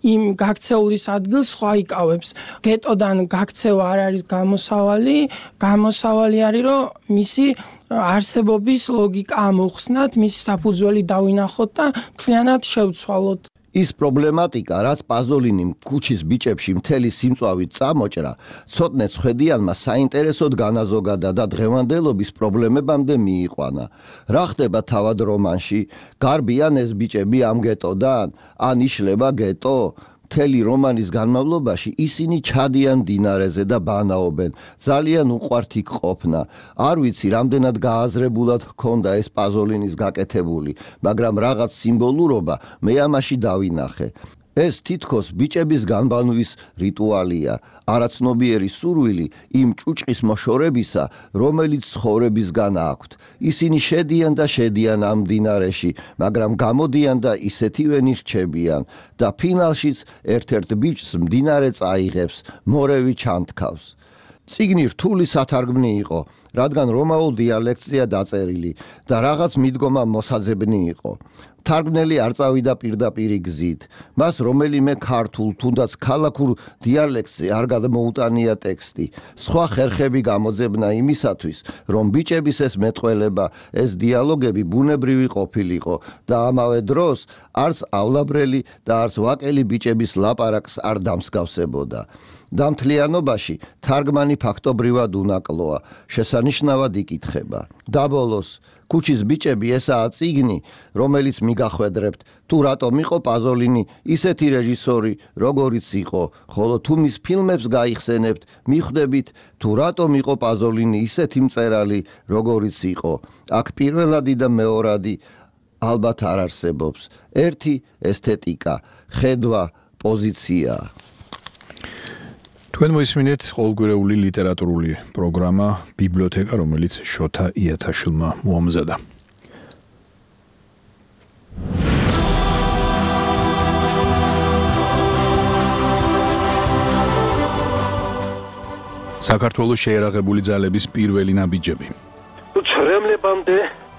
იმ გაქცეულის ადგილს სხვა იკავებს. გეტოდან გაქცევა არ არის გამოსავალი, გამოსავალი არის, რომ მისი არსებობის ლოგიკა ამოხსნათ, მისი საფუძველი დავინახოთ და მთლიანად შევცვალოთ. ის პრობლემატიკა, რაც პაზოლინიმ ქუჩის ბიჭებში მთელი სიმწვავით წამოჭრა, ცოტნე ხვედიანმა საინტერესოდ განაზოგადა და დღევანდელობის პრობლემებამდე მიიყვანა. რა ხდება თავად რომანში? გარბიან ეს ბიჭები ამ გეტოდან? ან იშლება გეტო? მთელი რომანის განმავლობაში ისინი ჩადიან მდინარეზე და ბანაობენ. ძალიან უყვართ იქ ყოფნა. არ ვიცი, რამდენად გააზრებულად ჰქონდა ეს პაზოლინის გაკეთებული, მაგრამ რაღაც სიმბოლურობა მე ამაში დავინახე. ეს თითქოს ბიჭების განბანვის რიტუალია, არაცნობიერი სურვილი იმ ჭუჭყის მოშორებისა, რომელიც ცხოვრებისგან აქვთ. ისინი შედიან და შედიან ამ მდინარეში, მაგრამ გამოდიან და ისეთივენი რჩებიან და ფინალშიც ერთ-ერთ ბიჭს მდინარე წაიღებს, მორევი ჩანთქავს. წიგნი რთული სათარგმნი იყო, რადგან რომაულ დიალექტზეა დაწერილი და რაღაც მიდგომა მოსაძებნი იყო. თარგმნელი არ წავიდა პირდაპირი გზით. მას რომელიმე ქართულ, თუნდაც ქალაქურ დიალექტზე არ გადმოუტანია ტექსტი. სხვა ხერხები გამოძებნა იმისათვის, რომ ბიჭების ეს მეტყველება, ეს დიალოგები ბუნებრივი ყოფილიყო და ამავე დროს არცავლაბრელი და არც ვაკელი ბიჭების ლაპარაკს არ დამსგავსებოდა. დამთლიანობაში თარგმანი ფაქტობრივად უნაკლოა, შესანიშნავად იკითხება. დაბოლოს ქუჩის ბიჭები ესაა წიგნი, რომელიც მიგახვედრებთ, თუ რატომ იყო პაზოლინი ისეთი რეჟისორი, როგორიც იყო, ხოლო თუ მის ფილმებს გაიხსენებთ, მიხვდებით, თუ რატომ იყო პაზოლინი ისეთი მწერალი, როგორიც იყო. აქ პირველადი და მეორადი ალბათ არ არსებობს. ერთი ესთეტიკა, ხედვა, პოზიცია. თქვენ მოისმინეთ ყოველკვირეული ლიტერატურული პროგრამა ბიბლიოთეკა, რომელიც შოთა იათაშვილმა მოამზადა. საქართველოს შეიარაღებული ძალების პირველი ნაბიჯები. ცრემლებამდე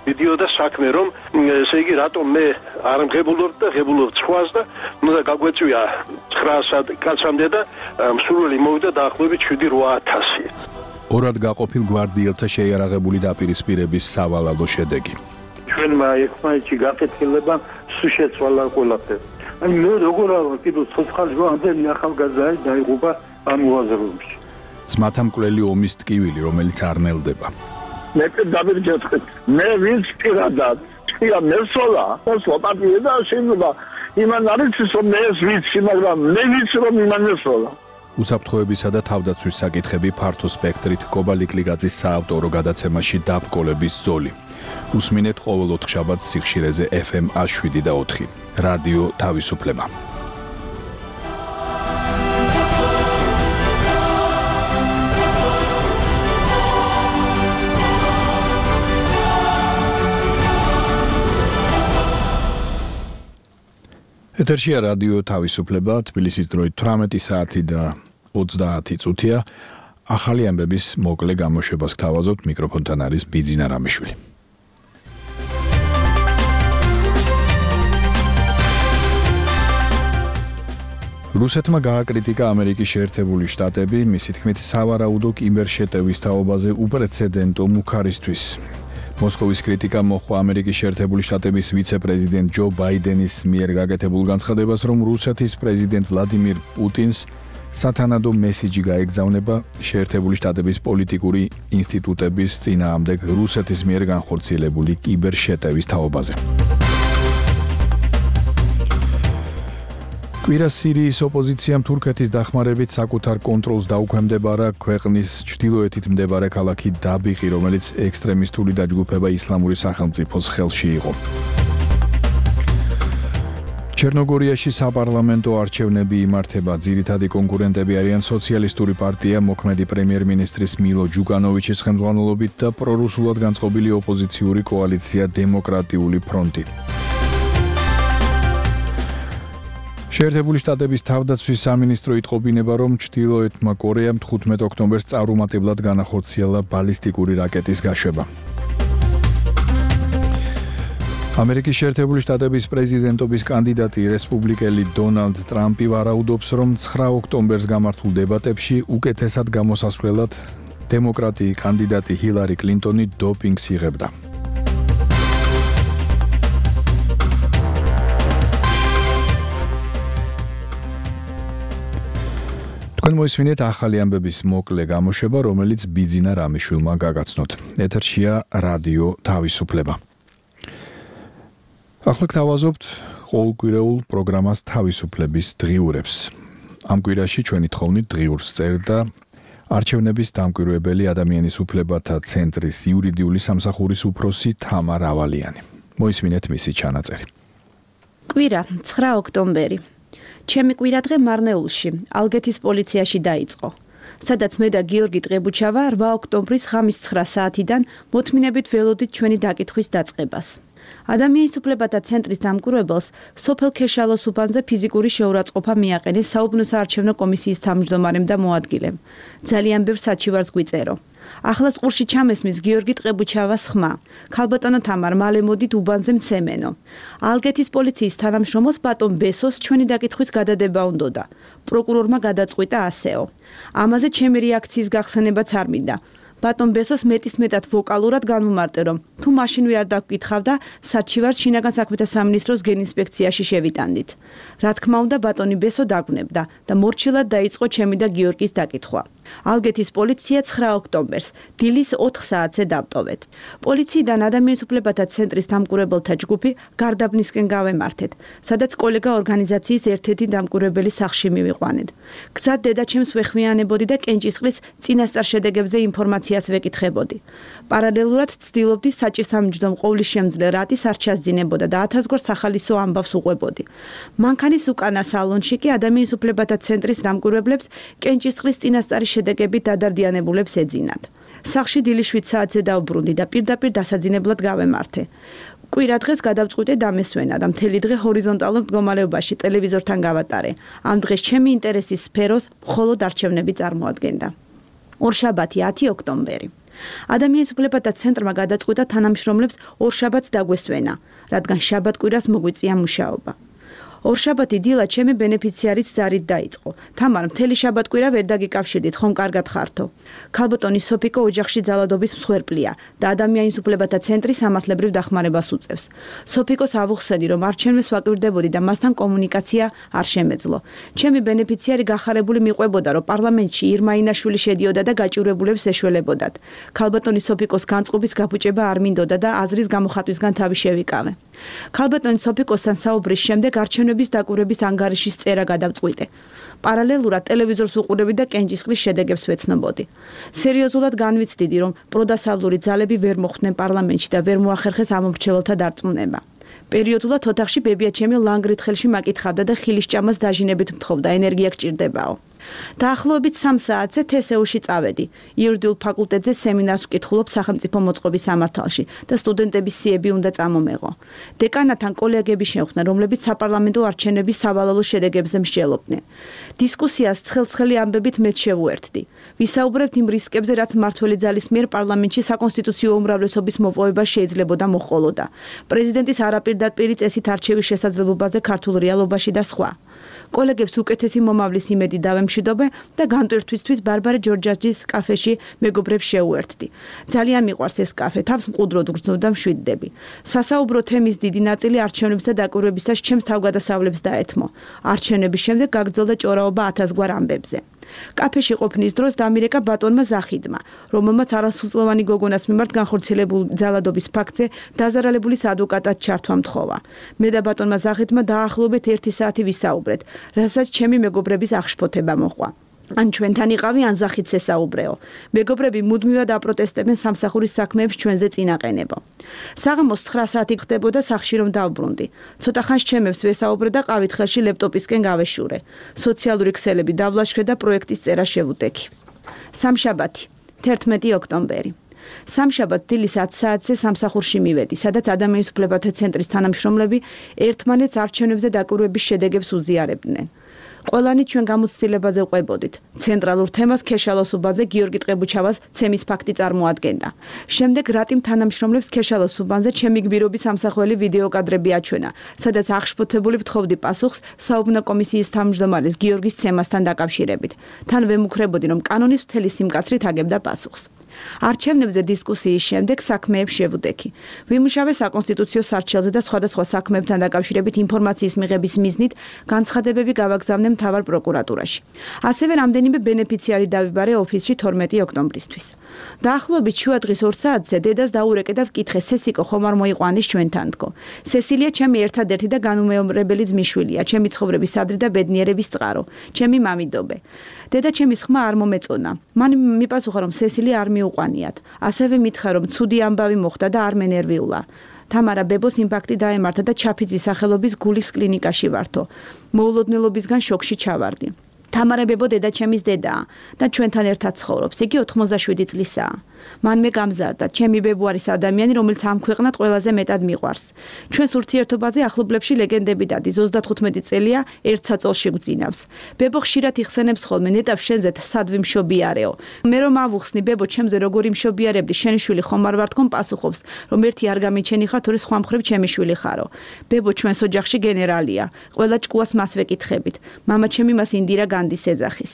მიდიოდა საქმე, რომ ესე იგი რატომ მე არ მღებულობ და ღებულობ სხვას და უნდა გაგვეწვია ცხრაასად კაცამდე და მსურველი მოვიდა დაახლოებით შვიდი რვა ათასი. ორად გაყოფილ გვარდიელთა შეიარაღებული დაპირისპირების სავალალო შედეგი. ჩვენმა ერთმანეთში გაკეთილება სულ შეცვალა ყველაფერი. აი მე როგორ არა კიდევ ცოცხალი ამდენი ახალგაზრდა დაიღუპა ამ უაზროებში. ძმათა მკვლელი ომის ტკივილი, რომელიც არ ნელდება. მე დავირჯეთქეთ მე ვინც პირადად ხია მესოლა ოსლოპატია და შეიძლება იმან არის რომ მე ეს ვიცი, მაგრამ მე ვიცი რომ იმან ესოლა. უსაფრთხოებისა და თავდაცვის საკითხები ფართო სპექტრით კობალიკლიგაძის საავტორო გადაცემაში დაბრკოლების ზოლი. უსმინეთ ყოველ ოთხშაბათს სიხშირეზე ეფ ემ ას შვიდი და ოთხი. რადიო თავისუფლება. ეთერშია რადიო თავისუფლება, თბილისის დროით თვრამეტი საათი და ოცდაათი წუთია. ახალი ამბების მოკლე გამოშვებას გთავაზობთ, მიკროფონთან არის ბიძინა რამიშვილი. რუსეთმა გააკრიტიკა ამერიკის შეერთებული შტატები, მისი თქმით, სავარაუდო კიბერშეტევის თაობაზე უპრეცედენტო მუქარისთვის. მოსკოვის კრიტიკა მოჰყვა ამერიკის შეერთებული შტატების ვიცე-პრეზიდენტ ჯო ბაიდენის მიერ გაკეთებულ განცხადებას, რომ რუსეთის პრეზიდენტ ვლადიმირ პუტინს სათანადო მესიჯი გაეგზავნება შეერთებული შტატების პოლიტიკური ინსტიტუტების წინააღმდეგ რუსეთის მიერ განხორციელებული კიბერშეტევის თაობაზე. კვირას სირიის ოპოზიციამ თურქეთის დახმარებით საკუთარ კონტროლს დაუქვემდებარა ქვეყნის ჩრდილოეთით მდებარე ქალაქი დაბიყი, რომელიც ექსტრემისტული დაჯგუფება ისლამური სახელმწიფოს ხელში იყო. ჩერნოგორიაში საპარლამენტო არჩევნები იმართება. ძირითადი კონკურენტები არიან სოციალისტური პარტია მოქმედი პრემიერ-მინისტრის მილო ჯუკანოვიჩის ხელმძღვანელობით და პრორუსულად განწყობილი ოპოზიციური კოალიცია დემოკრატიული ფრონტი. შეერთებული შტატების თავდაცვის სამინისტრო იტყობინება, რომ ჩრდილოეთმა კორეამ თხუთმეტ ოქტომბერს წარუმატებლად განახორციელა ბალისტიკური რაკეტის გაშვება. ამერიკის შეერთებული შტატების პრეზიდენტობის კანდიდატი რესპუბლიკელი დონალდ ტრამპი ვარაუდობს, რომ ცხრა ოქტომბერს გამართულ დებატებში უკეთესად გამოსასვლელად დემოკრატი კანდიდატი ჰილარი კლინტონი დოპინგს იღებდა. თქვენ მოისმინეთ ახალი ამბების მოკლე გამოშვება, რომელიც ბიძინა რამიშვილმა გაგაცნოთ. ეთერშია რადიო თავისუფლება. ახლა გთავაზობთ ყოველკვირეულ პროგრამას თავისუფლების დღიურებს. ამ კვირაში ჩვენი თხოვნით დღიურს წერდა არჩევნების დამკვირვებელი ადამიანის უფლებათა ცენტრის იურიდიული სამსახურის უფროსი თამარ ავალიანი. მოისმინეთ მისი ჩანაწერი. კვირა ცხრა ოქტომბერი. ჩემი კვირადღე მარნეულში, ალგეთის პოლიციაში დაიწყო. სადაც მე და გიორგი ტყებუჩავა რვა ოქტომბრის ღამის ცხრა საათიდან მოთმინებით ველოდით ჩვენი დაკითხვის დაწყებას. ადამიანის უფლებათა ცენტრის დამკვირვებელს სოფელ ქეშალოს უბანზე ფიზიკური შეურაცხყოფა მიაყენეს საუბნო საარჩევნო კომისიის თავმჯდომარემ და მოადგილემ. ძალიან ბევრ საჩივარს გვიწერო. ახლა ყურში ჩამესმის გიორგი ტყებუჩავას ხმა. ქალბატონო თამარ, მალე მოდით უბანზე მცემენო. ალგეთის პოლიციის თანამშრომელს ბატონ ბესოს ჩვენი დაკითხვის გადადება უნდოდა. პროკურორმა გადაწყვიტა ასეო. ამაზე ჩემი რეაქციის გახსენებაც არ მინდა. ბატონ ბესოს მეტის მეტად ვოკალურად განმომარტე, რომ თუ მაშინ ვერ დაგკითხავდა, საჩივარს შინაგან საქმეთა სამინისტროს გენინსპექციაში შევიტანდით. რა თქმა უნდა, ბატონი ბესო დაგვნებდა და მორჩილად დაიწყო ჩემი და გიორგის დაკითხვა. ალგეთის პოლიცია ცხრა ოქტომბერს დილის ოთხ საათზე დავტოვეთ. პოლიციიდან ადამიანის უფლებათა ცენტრის დამკვირვებელთა ჯგუფი გარდაბნისკენ გავემართეთ, სადაც კოლეგა ორგანიზაციის ერთ-ერთი დამკვირვებელი სახლში მივიყვანეთ. გზად დედაჩემს ვეხვიანებოდი და კენჭისყრის წინასწარ შედეგებზე ინფორმაციას ვეკითხებოდი. პარალელურად ცდილობდი საჭირსამჯდომ ყოვლის შემძლე რატის არ ჩასძინებოდა და ათასგვარ სახალისო ამბავს უყვებოდი. მანქანის უკანა სალონში კი ადამიანის უფლებათა ცენტრის დამკვირვებლებს კენჭისყრის წინასწარი შედეგებით დადარდიანებულებს ეძინათ. სახლში დილის შვიდ საათზე დავბრუნდი და პირდაპირ დასაძინებლად გავემართე. კვირა დღეს გადავწყვიტე დამესვენა და მთელი დღე ჰორიზონტალურ მდგომარეობაში ტელევიზორთან გავატარე. ამ დღეს ჩემი ინტერესის სფეროს მხოლოდ არჩევნები წარმოადგენდა. ორშაბათი ათი ოქტომბერი. ადამიანის უფლებათა ცენტრმა გადაწყვიტა თანამშრომლებს ორშაბათს დაგვესვენა, რადგან შაბათ-კვირას მოგვიწია მუშაობა. ორშაბათი დილა ჩემი ბენეფიციარის ზარით დაიწყო. თამარ, მთელი შაბათ-კვირა ვერ დაგიკავშირდით, ხომ კარგად ხართო? ქალბატონი სოფიკო ოჯახში ძალადობის მსხვერპლია და ადამიანის უფლებათა ცენტრი სამართლებრივ დახმარებას უწევს. სოფიკოს ავუხსედი, რომ არჩევნებს ვაკვირდებოდი და მასთან კომუნიკაცია არ შემეძლო. ჩემი ბენეფიციარი გახარებული მიყვებოდა, რომ პარლამენტში ირმა ინაშვილი შედიოდა და გაჭირვებულებს ეშველებოდათ. ქალბატონი სოფიკოს განწყობის გაფუჭება არ მინდოდა და აზრის გამოხატვისგან თავი შევიკავე. ქალბატონი სოფი კოსთან საუბრის შემდეგ არჩევნების დაკვირვების ანგარიშის წერა გადავწყვიტე. პარალელურად ტელევიზორს უყურებდი და კენჭისყრის შედეგებს ვეცნობოდი. სერიოზულად განვიცდიდი, რომ პროდასავლური ძალები ვერ მოხვდნენ პარლამენტში და ვერ მოახერხეს ამომრჩეველთა დარწმუნება. პერიოდულად ოთახში ბებია ჩემი ლანგრით ხელში მაკითხავდა და ხილისჭამას დაჟინებით მთხოვდა, ენერგია გჭირდებაო. დაახლოებით სამ საათზე თე ეს იუ-ში წავედი. იურიდიულ ფაკულტეტზე სემინარს ვკითხულობ სახელმწიფო მოწყობის სამართალში და სტუდენტების სიები უნდა წამომეღო. დეკანატთან კოლეგები შეხვდნენ, რომლებიც საპარლამენტო არჩევნების სავალალო შედეგებზე მსჯელობდნენ. დისკუსიას ცხელ-ცხელი ამბებით მეც შევუერთდი. ვისაუბრებთ იმ რისკებზე, რაც მმართველი ძალის მიერ პარლამენტში საკონსტიტუციო უმრავლესობის მოპოვება შეიძლებოდა მოჰყოლოდა. პრეზიდენტის არაპირდაპირი წესით არჩევის შესაძლებლობაზე ქართულ რეალობაში და სხვა. კოლეგებს უკეთესი მომავლის იმედი დავემშვიდობე და განტვირთვისთვის ბარბარე ჯორჯაძის კაფეში მეგობრებს შეუერთდი. ძალიან მიყვარს ეს კაფე, თავს მყუდროდ გრძნობ და მშვიდდები. სასაუბრო თემის დიდი ნაწილი არჩევნების და დაკვირვებისას ჩემს თავგადასავლებს დაეთმო. არჩევნების შემდეგ გაგრძელდა ჭორაობა ათასგვარ ამბებზე. კაფეში ყოფნის დროს დამირეკა ბატონმა ზახიდმა, რომელმაც არასრულწლოვანი გოგონას მიმართ განხორციელებულ ძალადობის ფაქტზე დაზარალებულის ადვოკატად ჩართვა მთხოვა. მე და ბატონმა ზახიდმა დაახლოებით ერთი საათი ვისაუბრეთ, რასაც ჩემი მეგობრების აღშფოთება მოჰყვა. ან ჩვენთან იყავი, ან ზახიდს ესაუბრეო. მეგობრები მუდმივად აპროტესტებენ სამსახურის საქმეებს ჩვენზე წინაყენებო. საღამოს ცხრა საათი ხდებოდა სახლში რომ დავბრუნდი. ცოტა ხანს ჩემებს ვესაუბრე და ყავით ხელში ლეპტოპისკენ გავეშურე. სოციალური ქსელები დავლაშქრე და პროექტის წერა შევუტექი. სამშაბათი, თერთმეტი ოქტომბერი. სამშაბათ დილის ათ საათზე სამსახურში მივედი, სადაც ადამიანის უფლებათა ცენტრის თანამშრომლები ერთმანეთს არჩევნებზე დაკვირვების შედეგებს უზიარებდნენ. ყველანი ჩვენ გამოცდილებაზე ვყვებოდით. ცენტრალურ თემას ქეშალოს უბანზე გიორგი ტყებუჩავას ცემის ფაქტი წარმოადგენდა. შემდეგ რატიმ თანამშრომლებს ქეშალოს უბანზე ჩემი გბირობის სამსახველი ვიდეო კადრები აჩვენა, სადაც აღშფოთებული ვთხოვდი პასუხს საუბნა კომისიის თავმჯდომარის გიორგის ცემასთან დაკავშირებით. თან ვემუქრებოდი, რომ კანონის მთელი სიმკაცრით აგებდა პასუხს. არჩევნებზე დისკუსიის შემდეგ საქმეებს შევუდექი. ვიმუშავე საკონსტიტუციო სარჩელზე და სხვადასხვა საქმეებთან დაკავშირებით ინფორმაციის მიღების მიზნით განცხადებები გავაგზავნე მთავარ პროკურატურაში. ასევე რამდენიმე ბენეფიციარი დავიბარე ოფისში თორმეტი ოქტომბრისთვის. დაახლოებით შუა დღის ორ საათზე დედას დაურეკე და ვკითხე, სესიკო ხომ არ მოიყვანის ჩვენთან თქო. სესილია ჩემი ერთადერთი და განუმეორებელი ძმისშვილია, ჩემი ცხოვრების ადრე და ბედნიერების წყარო, ჩემი მამიდობე. დედა ჩემის ხმა არ მომეწონა. მან მიპასუხა, რომ სესილი არ მიუყვანიათ. ასევე მითხრა, რომ ცუდი ამბავი მოხდა და არ მენერვიულა. თამარა ბებოს იმპაქტი დაემართა და ჩაფიძის სახელობის გულის კლინიკაში ვართო. მოულოდნელობისგან შოკში ჩავარდი. თამარა ბებო დედა ჩემის დედაა და ჩვენთან ერთად ცხოვრობს. იგი ოთხმოცდაშვიდი წლისაა. მან მე გამზარდა, ჩემი ბებო არის ადამიანი, რომელიც ამ ქვეყნად ყველაზე მეტად მიყვარს. ჩვენს ურთიერთობაზე ახლობლებში ლეგენდები დადის, ოცდათხუთმეტი წელია ერთ საწოლში გვძინავს. ბებო ხშირად იხსენებს ხოლმე, ნეტავ შენზე სად ვიმშობიარეო. მე რომ ავუხსნი, ბებო ჩემზე როგორი მშობიარებდი, შენი შვილი ხომ არ ვარ თქო, პასუხობს, რომ ერთი არ გამიჩენი ხარ, თორე სხვა მხრივ ჩემი შვილი ხარო. ბებო ჩვენს ოჯახში გენერალია, ყველა ჭკუას მას ვეკითხებით. მამა ჩემი მას ინდირა განდის ეძახის.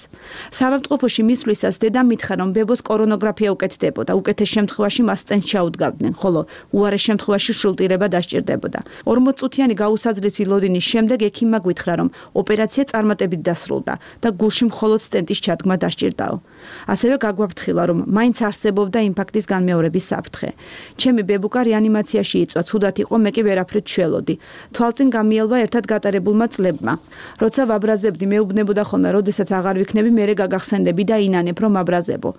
საავადმყოფოში მისვლისას დედა მითხრა, რომ ბებოს კორონოგრაფია უკეთდება და უკეთეს შემთხვევაში მას სტენს ჩაუდგავდნენ, ხოლო უარეს შემთხვევაში შულტირება დასჭირდებოდა. ორმოც წუთიანი გაუსაძლისი ლოდინის შემდეგ ექიმმა გვითხრა, რომ ოპერაცია წარმატებით დასრულდა და გულში მხოლოდ სტენტის ჩადგმა დასჭირდაო. ასევე გაგვაფრთხილა, რომ მაინც არსებობდა ინფარქტის განმეორების საფრთხე. ჩემი ბებუკა რეანიმაციაში იწვა, ცუდად იყო, მე კი ვერაფრით შველოდი. თვალწინ გამიელვა ერთად გატარებულმა წლებმა. როცა ვაბრაზებდი, მეუბნებოდა ხოლმე, როდესაც აღარ ვიქნები, მერე გაგახსენდები და ინანებ, რომ აბრაზებო.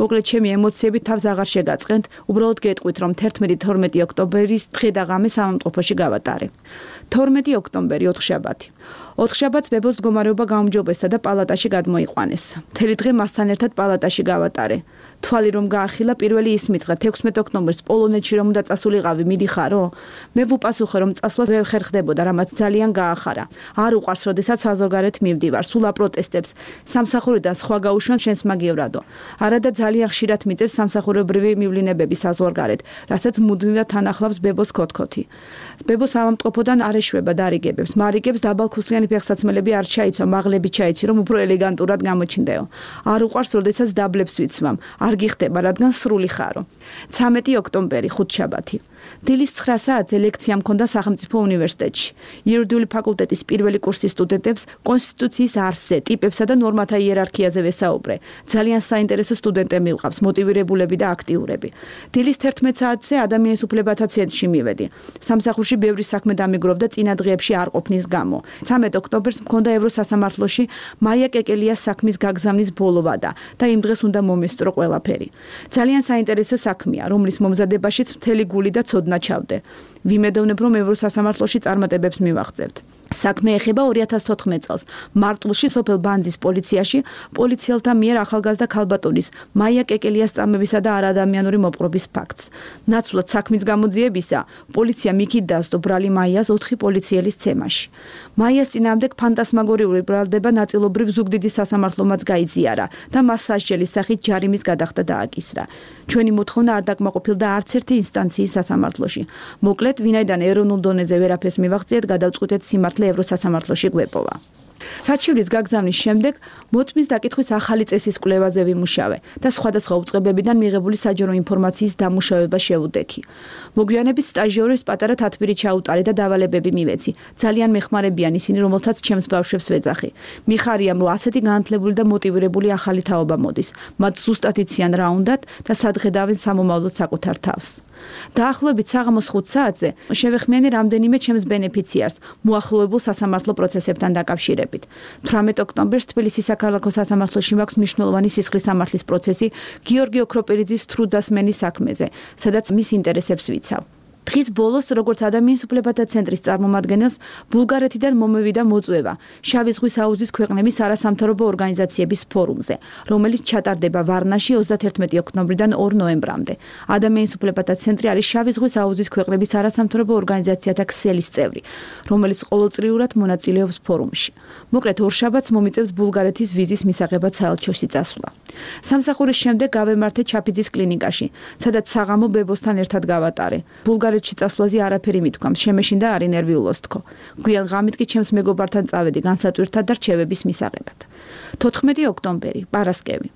მოკლედ ჩემი ემოციები თავს აღარ შეგაწყენთ, უბრალოდ გეტყვით, რომ თერთმეტი თორმეტი ოქტომბერის დღე და ღამე სამამტყოფოში გავატარე. თორმეტი ოქტომბერი ოთხშაბათი. ოთხშაბათს ბებოს მდგომარეობა გაუმჯობესდა და პალატაში გადმოიყვანეს. მთელი დღე მასთან ერთად პალატაში გავატარე. თვალი რომ გაახილა, პირველი ის მითხრა, თექვსმეტი ოქტომბერს პოლონეთში რომ უნდა წასულიყავი, მიდიხარო? მე ვუპასუხე, რომ წასვლას ვერ ხერხდებოდა, რამაც ძალიან გაახარა. არ უყვარს, როდესაც საზოგადოებრივ მივდივარ, სულ აპროტესტებს. სამსახურიდან სხვა გაუშვან შენს მაგივრადო. არადა ძალიან ხშირად მიწევს სამსახურებრივი მივლინებები საზღვარგარეთ, რასაც მუდმივად თანახლავს ბებოს ქოთქოთი. ბებო სამამტყოფოდან არ ეშვება დარიგებებს, მარიგებს დაბალქუსლიანი ფეხსაცმელები არ ჩაიცვა, მაღლები ჩაიცი, რომ უფრო ელეგანტურად გამოჩნდეო. არ უყვარს, როდესაც დაბლებს ვიცვამ. არ გიხდება, რადგან სრული ხარო. ცამეტი ოქტომბერი, ხუთშაბათი. დილის ცხრა საათზე ლექცია მქონდა სახელმწიფო უნივერსიტეტში. იურიდიული ფაკულტეტის პირველი კურსის სტუდენტებს კონსტიტუციის არსზე, ტიპებსა და ნორმათა იერარქიაზე ვესაუბრე. ძალიან საინტერესო სტუდენტები მივყავს, მოტივირებულები და აქტიურები. დილის თერთმეტ საათზე ადამიანის უფლებათა ცენტრში მივედი. სამსახურში ბევრი საქმე დამიგროვდა წინა დღეებში არ ყოფნის გამო. ცამეტ ოქტომბერს მქონდა ევროსასამართლოში მაია კეკელიას საქმის გაგზავნის ბოლო ვადა და იმ დღეს უნდა მომესწრო ყველაფერი. ძალიან საინტერესო საქმეა, რომლის მომზადებაშიც მთელი გული და ცოდნა ჩავდე. ვიმედოვნებ, რომ ევროსასამართლოში წარმატებებს მივაღწევთ. საქმე ეხება ორი ათას თოთხმეტ წელს. მარტვილში სოფელ ბანძის პოლიციაში პოლიციელთა მიერ ახალგაზრდა ქალბატონის მაია კეკელიას წამებისა და არადამიანური მოპყრობის ფაქტს. ნაცვლად საქმის გამოძიებისა, პოლიცია მიქით დასდო ბრალი მაიას ოთხი პოლიციელის ცემაში. მაიას წინააღმდეგ ფანტასმაგორიული ბრალდება ნაწილობრივ ზუგდიდის სასამართლომაც გაიზიარა და მას სასჯელის სახით ჯარიმის გადახდა დააკისრა. ჩვენი მოთხოვნა არ დაკმაყოფილდა არც ერთი ინსტანციის სასამართლოში. მოკლედ, ვინაიდან ეროვნულ დონეზე ვერაფერს მივაღწიეთ, გადავწყვიტეთ სიმართლე ევროსასამართლოში გვეპოვა. საჩივრის გაგზავნის შემდეგ მოწმის დაკითხვის ახალი წესის კვლევაზე ვიმუშავე და სხვადასხვა უწყებებიდან მიღებული საჯარო ინფორმაციის დამუშავება შევუდექი. მოგვიანებით სტაჟიორის პატარა თათბირი ჩაუტარე და დავალებები მივეცი. ძალიან მეხმარებიან ისინი, რომელთაც ჩემს ბავშვებს ვეძახი. მიხარია, რომ ასეთი განათლებული და მოტივირებული ახალი თაობა მოდის. მათ ზუსტად იციან რა უნდათ და სადღედავენ სამომავლოდ საკუთარ თავს. დაახლოებით საღამოს ხუთ საათზე შევეხმიანე რამდენიმე ჩემს ბენეფიციარს მოახლოებულ სასამართლო პროცესებთან დაკავშირებით. თვრამეტ ოქტომბერს თბილისის საქალაქო სასამართლოში მაქვს მნიშვნელოვანი სისხლის სამართლის პროცესი გიორგი ოქროპერიძის თრუდასმენის საქმეზე, სადაც მის ინტერესებს ვიცავ. დღის ბოლოს, როგორც ადამიანის უფლებათა ცენტრის წარმომადგენელს, ბულგარეთიდან მომევიდა მოწვევა შავი ზღვის აუზის ქვეყნების არასამთავრობო ორგანიზაციების ფორუმზე, რომელიც ჩატარდება ვარნაში ოცდაათერთმეტი ოქტომბრიდან ორ ნოემბრამდე. ადამიანის უფლებათა ცენტრი არის შავი ზღვის აუზის ქვეყნების არასამთავრობო ორგანიზაციათა ქსელის წევრი, რომელიც ყოველწლიურად მონაწილეობს ფორუმში. მოკლედ, ორშაბათს მომიწევს ბულგარეთის ვიზის მისაღებად საელჩოში წასვლა. სამსახურის შემდეგ გავემართე ჩაფიძის კლინიკაში, სადაც საღამო ბებოსთან ერთად გავატარე. ბულგარეთში წასვლაზე არაფერი მithქვამს, შემეშინდა არ ინერვიულოს თქო. გვიან ღამით კი ჩემს მეგობართან წავედი განსატვირთად და რჩევების მისაღებად. თოთხმეტი ოქტომბერი, პარასკევი.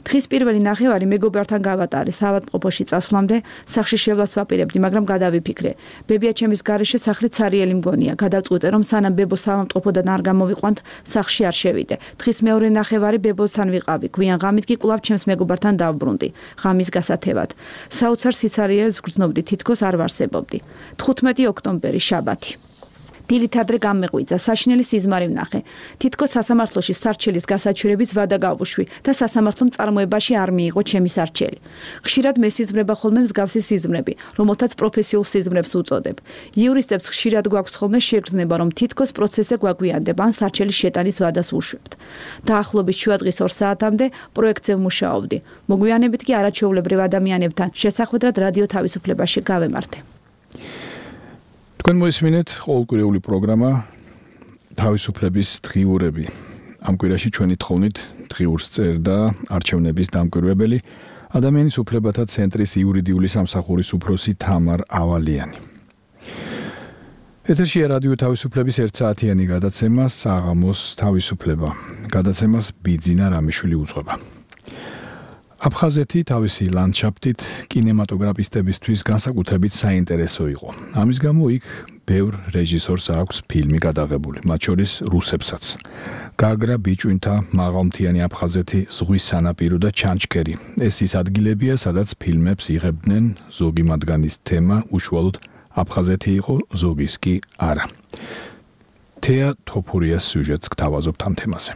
დღის პირველი ნახევარი მეგობართან გავატარე საავადმყოფოში წასვლამდე, სახლში შევლას ვაპირებდი, მაგრამ გადავიფიქრე. ბებია ჩემის გარეშე სახლი ცარიელი მგონია. გადავწყვიტე, რომ სანამ ბებოს საავადმყოფოდან არ გამოვიყვანთ, სახლში არ შევიდე. დღის მეორე ნახევარი ბებოსთან ვიყავი. გვიან ღამით კი კვლავ ჩემს მეგობართან დავბრუნდი. ღამის გასათევად. საოცარ სიცარიელს გრძნობდი, თითქოს არ ვარსებობდი. თხუთმეტი ოქტომბერი, შაბათი. დილით ადრე გამეღვიძა, საშინელი სიზმარი ვნახე. თითქოს სასამართლოში სარჩელის გასაჩვირების ვადა გავუშვი და სასამართლომ წარმოებაში არ მიიღო ჩემი სარჩელი. ხშირად მესიზმრება ხოლმე მსგავსი სიზმრები, რომელთაც პროფესიულ სიზმრებს უწოდებ. იურისტებს ხშირად გვაქვს ხოლმე შეგრძნება, რომ თითქოს პროცესზე გვაგვიანდება ან სარჩელის შეტანის ვადას უშვებთ. დაახლოებით შუადღის ორ საათამდე პროექტზე ვმუშაობდი. მოგვიანებით კი არაჩვეულებრივ ადამიანებთან შესახვედრად რადიო თავისუფლებაში გავემართე. თქვენ მოისმინეთ ყოველკვირეული პროგრამა თავისუფლების დღიურები. ამ კვირაში ჩვენი თხოვნით დღიურს წერდა არჩევნების დამკვირვებელი ადამიანის უფლებათა ცენტრის იურიდიული სამსახურის უფროსი თამარ ავალიანი. ეთერშია რადიო თავისუფლების ერთ საათიანი გადაცემა საღამოს თავისუფლება. გადაცემას ბიძინა რამიშვილი უძღვება. აფხაზეთი თავისი ლანდშაფტით კინემატოგრაფისტებისთვის განსაკუთრებით საინტერესო იყო. ამის გამო იქ ბევრ რეჟისორს აქვს ფილმი გადაღებული, მათ შორის რუსებსაც. გაგრა ბიჭვინთა მაღალმთიანი აფხაზეთი, ზღვის სანაპირო და ჩანჩქერი. ეს ის ადგილებია, სადაც ფილმებს იღებდნენ, ზოგი მათგანის თემა უშუალოდ აფხაზეთი იყო, ზოგის კი არა. თეა თოფურიას სიუჟეტს გთავაზობთ ამ თემაზე.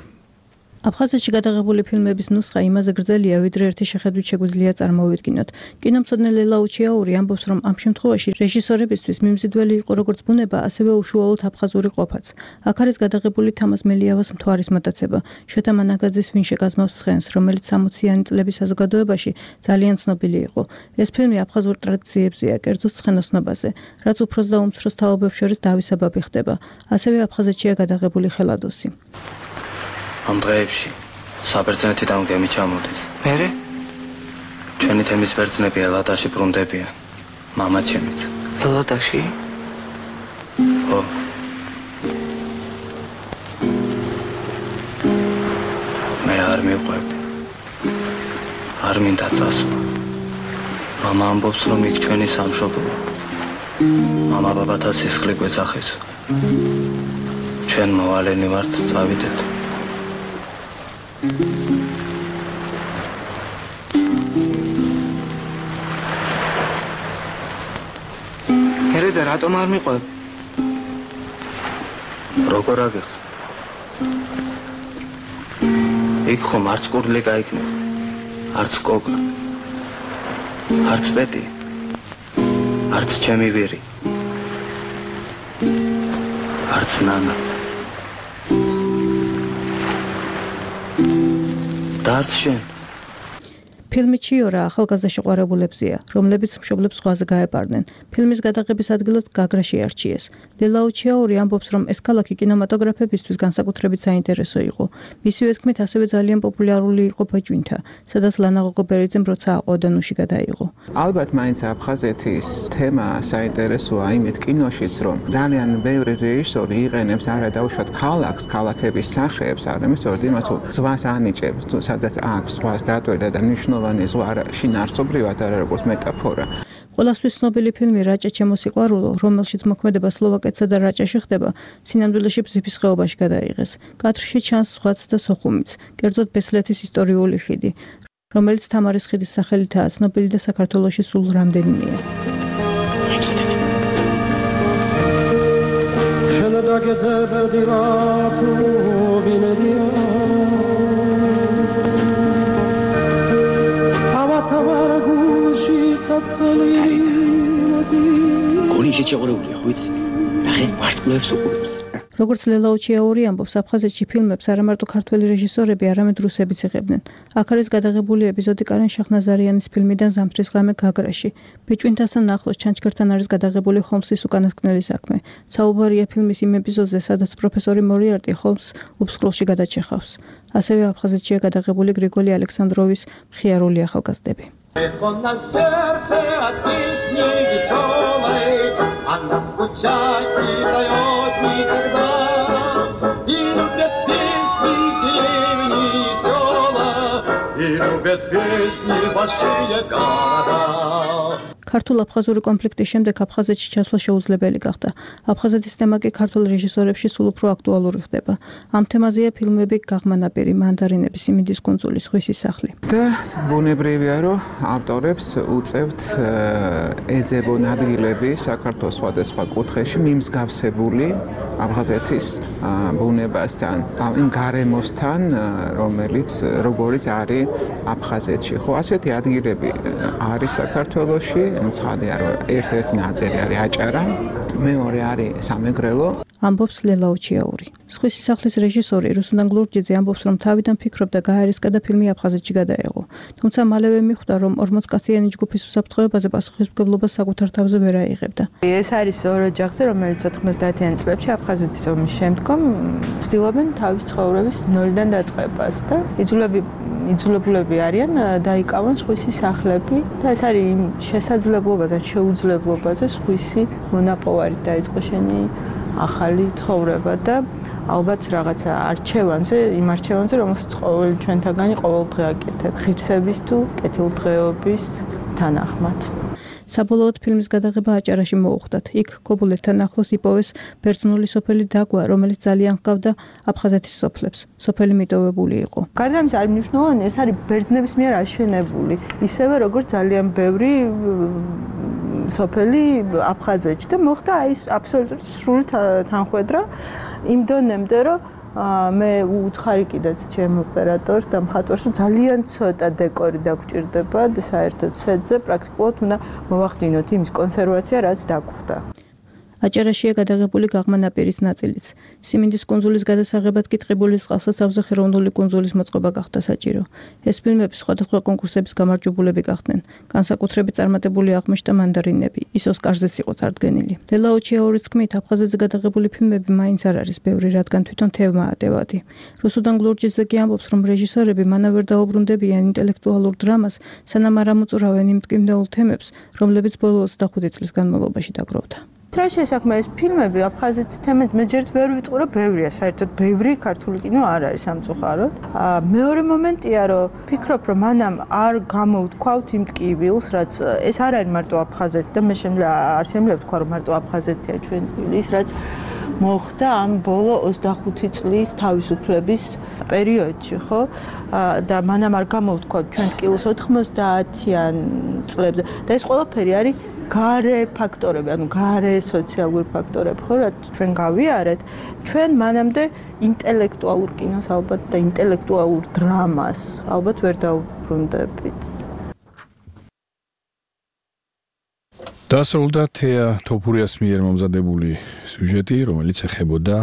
აფხაზეთში გადაღებული ფილმების ნუსხა იმაზე გრძელია, ვიდრე ერთი შეხედვით შეგვიძლია წარმოვიდგინოთ. კინომცოდნე ლელა უჩიაური ამბობს, რომ ამ შემთხვევაში რეჟისორებისთვის მიმზიდველი იყო როგორც ბუნება, ასევე უშუალოდ აფხაზური ყოფაც. აქ არის გადაღებული თამაზ მელიავას მთვარის მოტაცება, შვეთა მანაგაძის ვინ შეგაზმავს ცხენს, რომელიც სამოციანი წლების საზოგადოებაში ძალიან ცნობილი იყო. ეს ფილმი აფხაზურ ტრადიციებზეა, კერძოდ ცხენოსნობაზე, რაც უფროს და უმცროს თაობებს შორის დავისაბაბი ხდება. ასევე აფხაზეთშია გადაღებული ხელადოსი. ამ დღეებში საბერძნეთიდან გემი ჩამოდის. მერე? ჩვენი თემის ბერძნები ელადაში ბრუნდებიან. მამა ჩემიც. ელადაში? ხო. მე არ მივყვები. არ მინდა წასვლა. მამა ამბობს, რომ იქ ჩვენი სამშობლოა. მამა ბაბათა სისხლი გვეძახის. ჩვენ მოვალენი ვართ, წავიდეთ. ერე და რატომ არ მიყვებ? როგორ აგიხსნა? იქ ხომ არც კურდლი გაიქნება, არც კოკა, არც პეტი, არც ჩემი ვირი, არც ნანა და არც შენ. ფილმი ჩიორა ახალგაზრდა შეყვარებულებზეა, რომლებიც მშობლებს ზღვაზე გაეპარნენ. ფილმის გადაღების ადგილად გაგრაში არჩიეს. ლელაუ ჩიაური ამბობს, რომ ეს ქალაქი კინემატოგრაფებისთვის განსაკუთრებით საინტერესო იყო. მისივე თქმით, ასევე ძალიან პოპულარული იყო ბაჯვინთა, სადაც ლანა ღოღობერიძემ როცა აყვავდა ნუში გადაიღო. ალბათ მაინც აფხაზეთის თემა საინტერესოა იმით კინოშიც, რომ ძალიან ბევრი რეჟისორი იყენებს არა დაუშვათ ქალაქს, ქალაქების სახეებს, არამედ სწორედ იმას, რომ ზღვას ანიჭებს, თუ სადაც აქვს ზღვას დატვირთვა და მნიშვნელოვანი ზღვა შინაარსობრივად არა როგორც მეტაფორა. ყველასთვის ცნობილი ფილმი რაჭა ჩემო სიყვარულო, რომელშიც მოქმედება სლოვაკეთსა და რაჭაში ხდება, სინამდვილეში ბზიფის ხეობაში გადაიღეს. კადრში ჩანს სხვაც და სოხუმიც, კერძოდ ბესლეთის ისტორიული ხიდი, რომელიც თამარის ხიდის სახელითაა ცნობილი და საქართველოში სულ რამდენიმეა. გონი შეჭეყურებულია, ხო იცი? ნახე, ვარსკვლავებს უყურებს. როგორც ლელაუ ჩიაური ამბობს, აფხაზეთში ფილმებს არა მარტო ქართველი რეჟისორები, არამედ რუსებიც იღებდნენ. აქ არის გადაღებული ეპიზოდი კარენ შაჰნაზარიანის ფილმიდან ზამთრის ღამე გაგრაში. ბიჭვინთასთან ახლოს ჩანჩქერთან არის გადაღებული ჰოლმსის უკანასკნელი საქმე. საუბარია ფილმის იმ ეპიზოდზე, სადაც პროფესორი მორიარტი ჰოლმსს უბსკროლში გადაჭეხავს. ასევე აფხაზეთშია გადაღებული გრიგოლი ალექსანდროვის მხიარული ახალგაზრდები. Эхо на сердце от песни веселой, она скучать не дает никогда. И любят песни деревни и села, и любят песни большие города. ქართულ-აფხაზური კონფლიქტის შემდეგ აფხაზეთში ჩასვლა შეუძლებელი გახდა. აფხაზეთის თემა კი ქართულ რეჟისორებში სულ უფრო აქტუალური ხდება. ამ თემაზეა ფილმები გაღმანაპირი, მანდარინების, სიმინდის კუნძული, სხვისი სახლი. და ბუნებრივია, რომ ავტორებს უწევთ ეძებონ ადგილები საქართველოს სხვადასხვა კუთხეში მიმსგავსებული აფხაზეთის ბუნებასთან, იმ გარემოსთან, რომელიც როგორიც არის აფხაზეთში. ხო, ასეთი ადგილები არის საქართველოში. ცხადია, რომ ერთ-ერთი ნაწილი არის აჭარა, მეორე არის სამეგრელო. ამბობს ლელაუ ჩიაური. სხვისი სახლის რეჟისორი რუსუდან გლურჯიძე ამბობს, რომ თავიდან ფიქრობდა გაერისკა და ფილმი აფხაზეთში გადაეღო. თუმცა მალევე მიხვდა, რომ ორმოცკაციანი ჯგუფის უსაფრთხოებაზე პასუხისმგებლობას საკუთარ თავზე ვერ აიღებდა. ეს არის ორი ოჯახზე, რომელიც ოთხმოცდაათიან წლებში აფხაზეთის ომის შემდგომ ცდილობენ თავის ცხოვრების ნოლიდან დაწყებას და იძულები იძულებულები არიან დაიკავონ სხვისი სახლები და ეს არის იმ შესაძლებლობაზე, შეუძლებლობაზე სხვისი მონაპოვარით დაიწყო შენი ახალი ცხოვრება და ალბათ რაღაცა არჩევანზე, იმ არჩევანზე, რომელსაც ყოველი ჩვენთაგანი ყოველდღე აკეთებ, ღირსების თუ კეთილდღეობის თანახმად. საბოლოოდ ფილმის გადაღება აჭარაში მოუხდათ. იქ კობულეთთან ახლოს იპოვეს ბერძნული სოფელი დაგვა, რომელიც ძალიან ჰგავდა აფხაზეთის სოფლებს. სოფელი მიტოვებული იყო. გარდა ამისა, არის მნიშვნელოვანი, ეს არის ბერძნების მიერ აშენებული, ისევე როგორც ძალიან ბევრი სოფელი აფხაზეთში და მოხდა ის აბსოლუტურად სრული თანხვედრა იმ დონემდე, რომ მე უთხარი კიდეც ჩემ ოპერატორს და მხატვარს, რომ ძალიან ცოტა დეკორი დაგჭირდება და საერთოდ სეტზე პრაქტიკულად უნდა მოვახდინოთ იმის კონსერვაცია, რაც დაგხვდა. აჭარაშია გადაღებული გაღმანაპირის ნაწილიც. სიმინდის კუნძულის გადასაღებად კი ტყიბულის წყალსაცავზე ხელოვნური კუნძულის მოწყობა გახდა საჭირო. ეს ფილმები სხვადასხვა კონკურსების გამარჯვებულები გახდნენ. განსაკუთრებით წარმატებული აღმოჩნდა მანდარინები. ის ოსკარზეც იყო წარდგენილი. ლელაუ ჩიაურის თქმით, აფხაზეთზე გადაღებული ფილმები მაინც არ არის ბევრი, რადგან თვითონ თემაა დევადი. რუსუდან გლურჯიძე კი ამბობს, რომ რეჟისორები მანავ ვერ დაუბრუნდებიან ინტელექტუალურ დრამას, სანამ არ ამოწურავენ იმ მტკივნეულ თემებს, რომლებიც ბოლო ოცდახუთი წლის განმავლობაში დაგროვდა. რა შესაქმე ეს ფილმები აფხაზეთის თემით მე ჯერ ვერ ვიტყურე, ბევრია საერთოდ ბევრი ქართული კინო არ არის სამწუხაროდ. მეორე მომენტია რომ ფიქრობ რომ მანამ არ გამოვთქვავთ იმ ტკივილს, რაც ეს არ არის მარტო აფხაზეთი და მე შემიძლია არ შემიძლია ვთქვა რომ მარტო აფხაზეთია ჩვენ ის რაც მოხდა ამ ბოლო ოცდახუთი წლის თავისუფლების პერიოდში, ხო? და მანამ არ გამოვთქვათ ჩვენ ტკივილს ოთხმოცდაათიან წლებზე. და ეს ყველაფერი არის გარე ფაქტორები, ანუ გარე სოციალური ფაქტორები, ხო, რაც ჩვენ გავიარეთ, ჩვენ მანამდე ინტელექტუალურ კინოს ალბათ და ინტელექტუალურ დრამას ალბათ ვერ დავუბრუნდებით. დასრულდა თეა თოფურიას მიერ მომზადებული სიუჟეტი, რომელიც ეხებოდა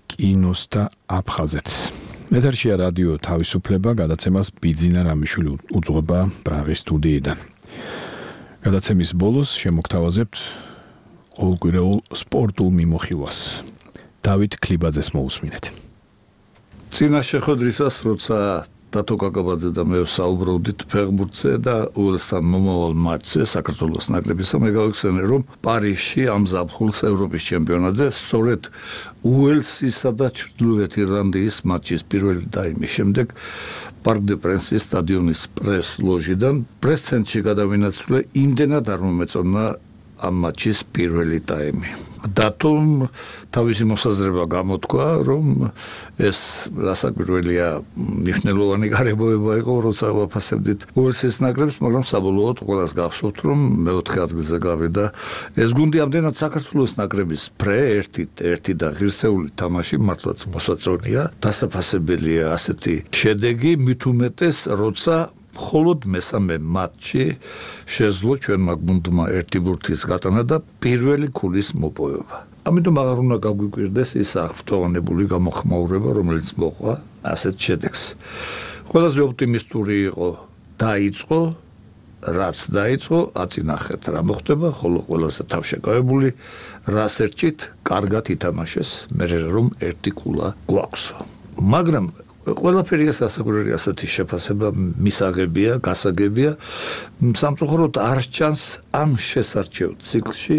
კინოს და აფხაზეთს. ეთერშია რადიო თავისუფლება, გადაცემას ბიძინა რამიშვილი უძღვება პრაღის სტუდიიდან. გადაცემის ბოლოს შემოგთავაზებთ ყოველკვირეულ სპორტულ მიმოხილვას. დავით ქლიბაძეს მოусმინეთ. წინა შეხვედრისას, როცა დათო კაკაბაძე და მე საუბრობდით ფეხბურთზე და უელსთან მომავალ მატჩზე საქართველოს ნაკრებისა, მე გავიხსენე, რომ პარიზში ამ ზაფხულს ევროპის ჩემპიონატზე სწორედ უელსისა და ჩრდილოეთ ირლანდიის მატჩის პირველი დაიმის შემდეგ პარკ დე პრენსის სტადიონის პრეს ლოჟიდან პრეს ცენტრში გადავინაცვლე, იმდენად არ მომეწონა ამ მატჩის პირველი ტაიმი. დათომ თავისი მოსაზრება გამოთქვა, რომ ეს რასაკვირველია მნიშვნელოვანი გარემოება იყო, როცა ვაფასებდით უელსის ნაკრებს, მაგრამ საბოლოოდ ყველას გახსოვთ, რომ მეოთხე ადგილზე გავიდა ეს გუნდი. ამდენად საქართველოს ნაკრების პრე ერთით ერთი და ღირსეული თამაში მართლაც მოსაწონია, დასაფასებელია ასეთი შედეგი, მით უმეტეს, როცა მხოლოდ მესამე მატჩი შეძლო ჩვენმა გუნდმა ერთი ბურთის გატანა და პირველი ქულის მოპოვება. ამიტომ აღარ უნდა გაგვიკვირდეს ის აღფრთოვანებული გამოხმაურება, რომელიც მოყვა ასეთ შედეგს. ყველაზე ოპტიმისტური იყო დაიწყო, რაც დაიწყო, აწინახეთ რა მოხდება, ხოლო ყველაზე თავშეკავებული რას ერჩით, კარგად ითამაშეს, მე რომ ერთი ქულა გვაქვს. მაგრამ ყველაფერი ეს ასაკურერი ასეთი შეფასება მისაღებია, გასაგებია. სამწუხაროდ არ ჩანს ამ შესარჩევ ციკლში,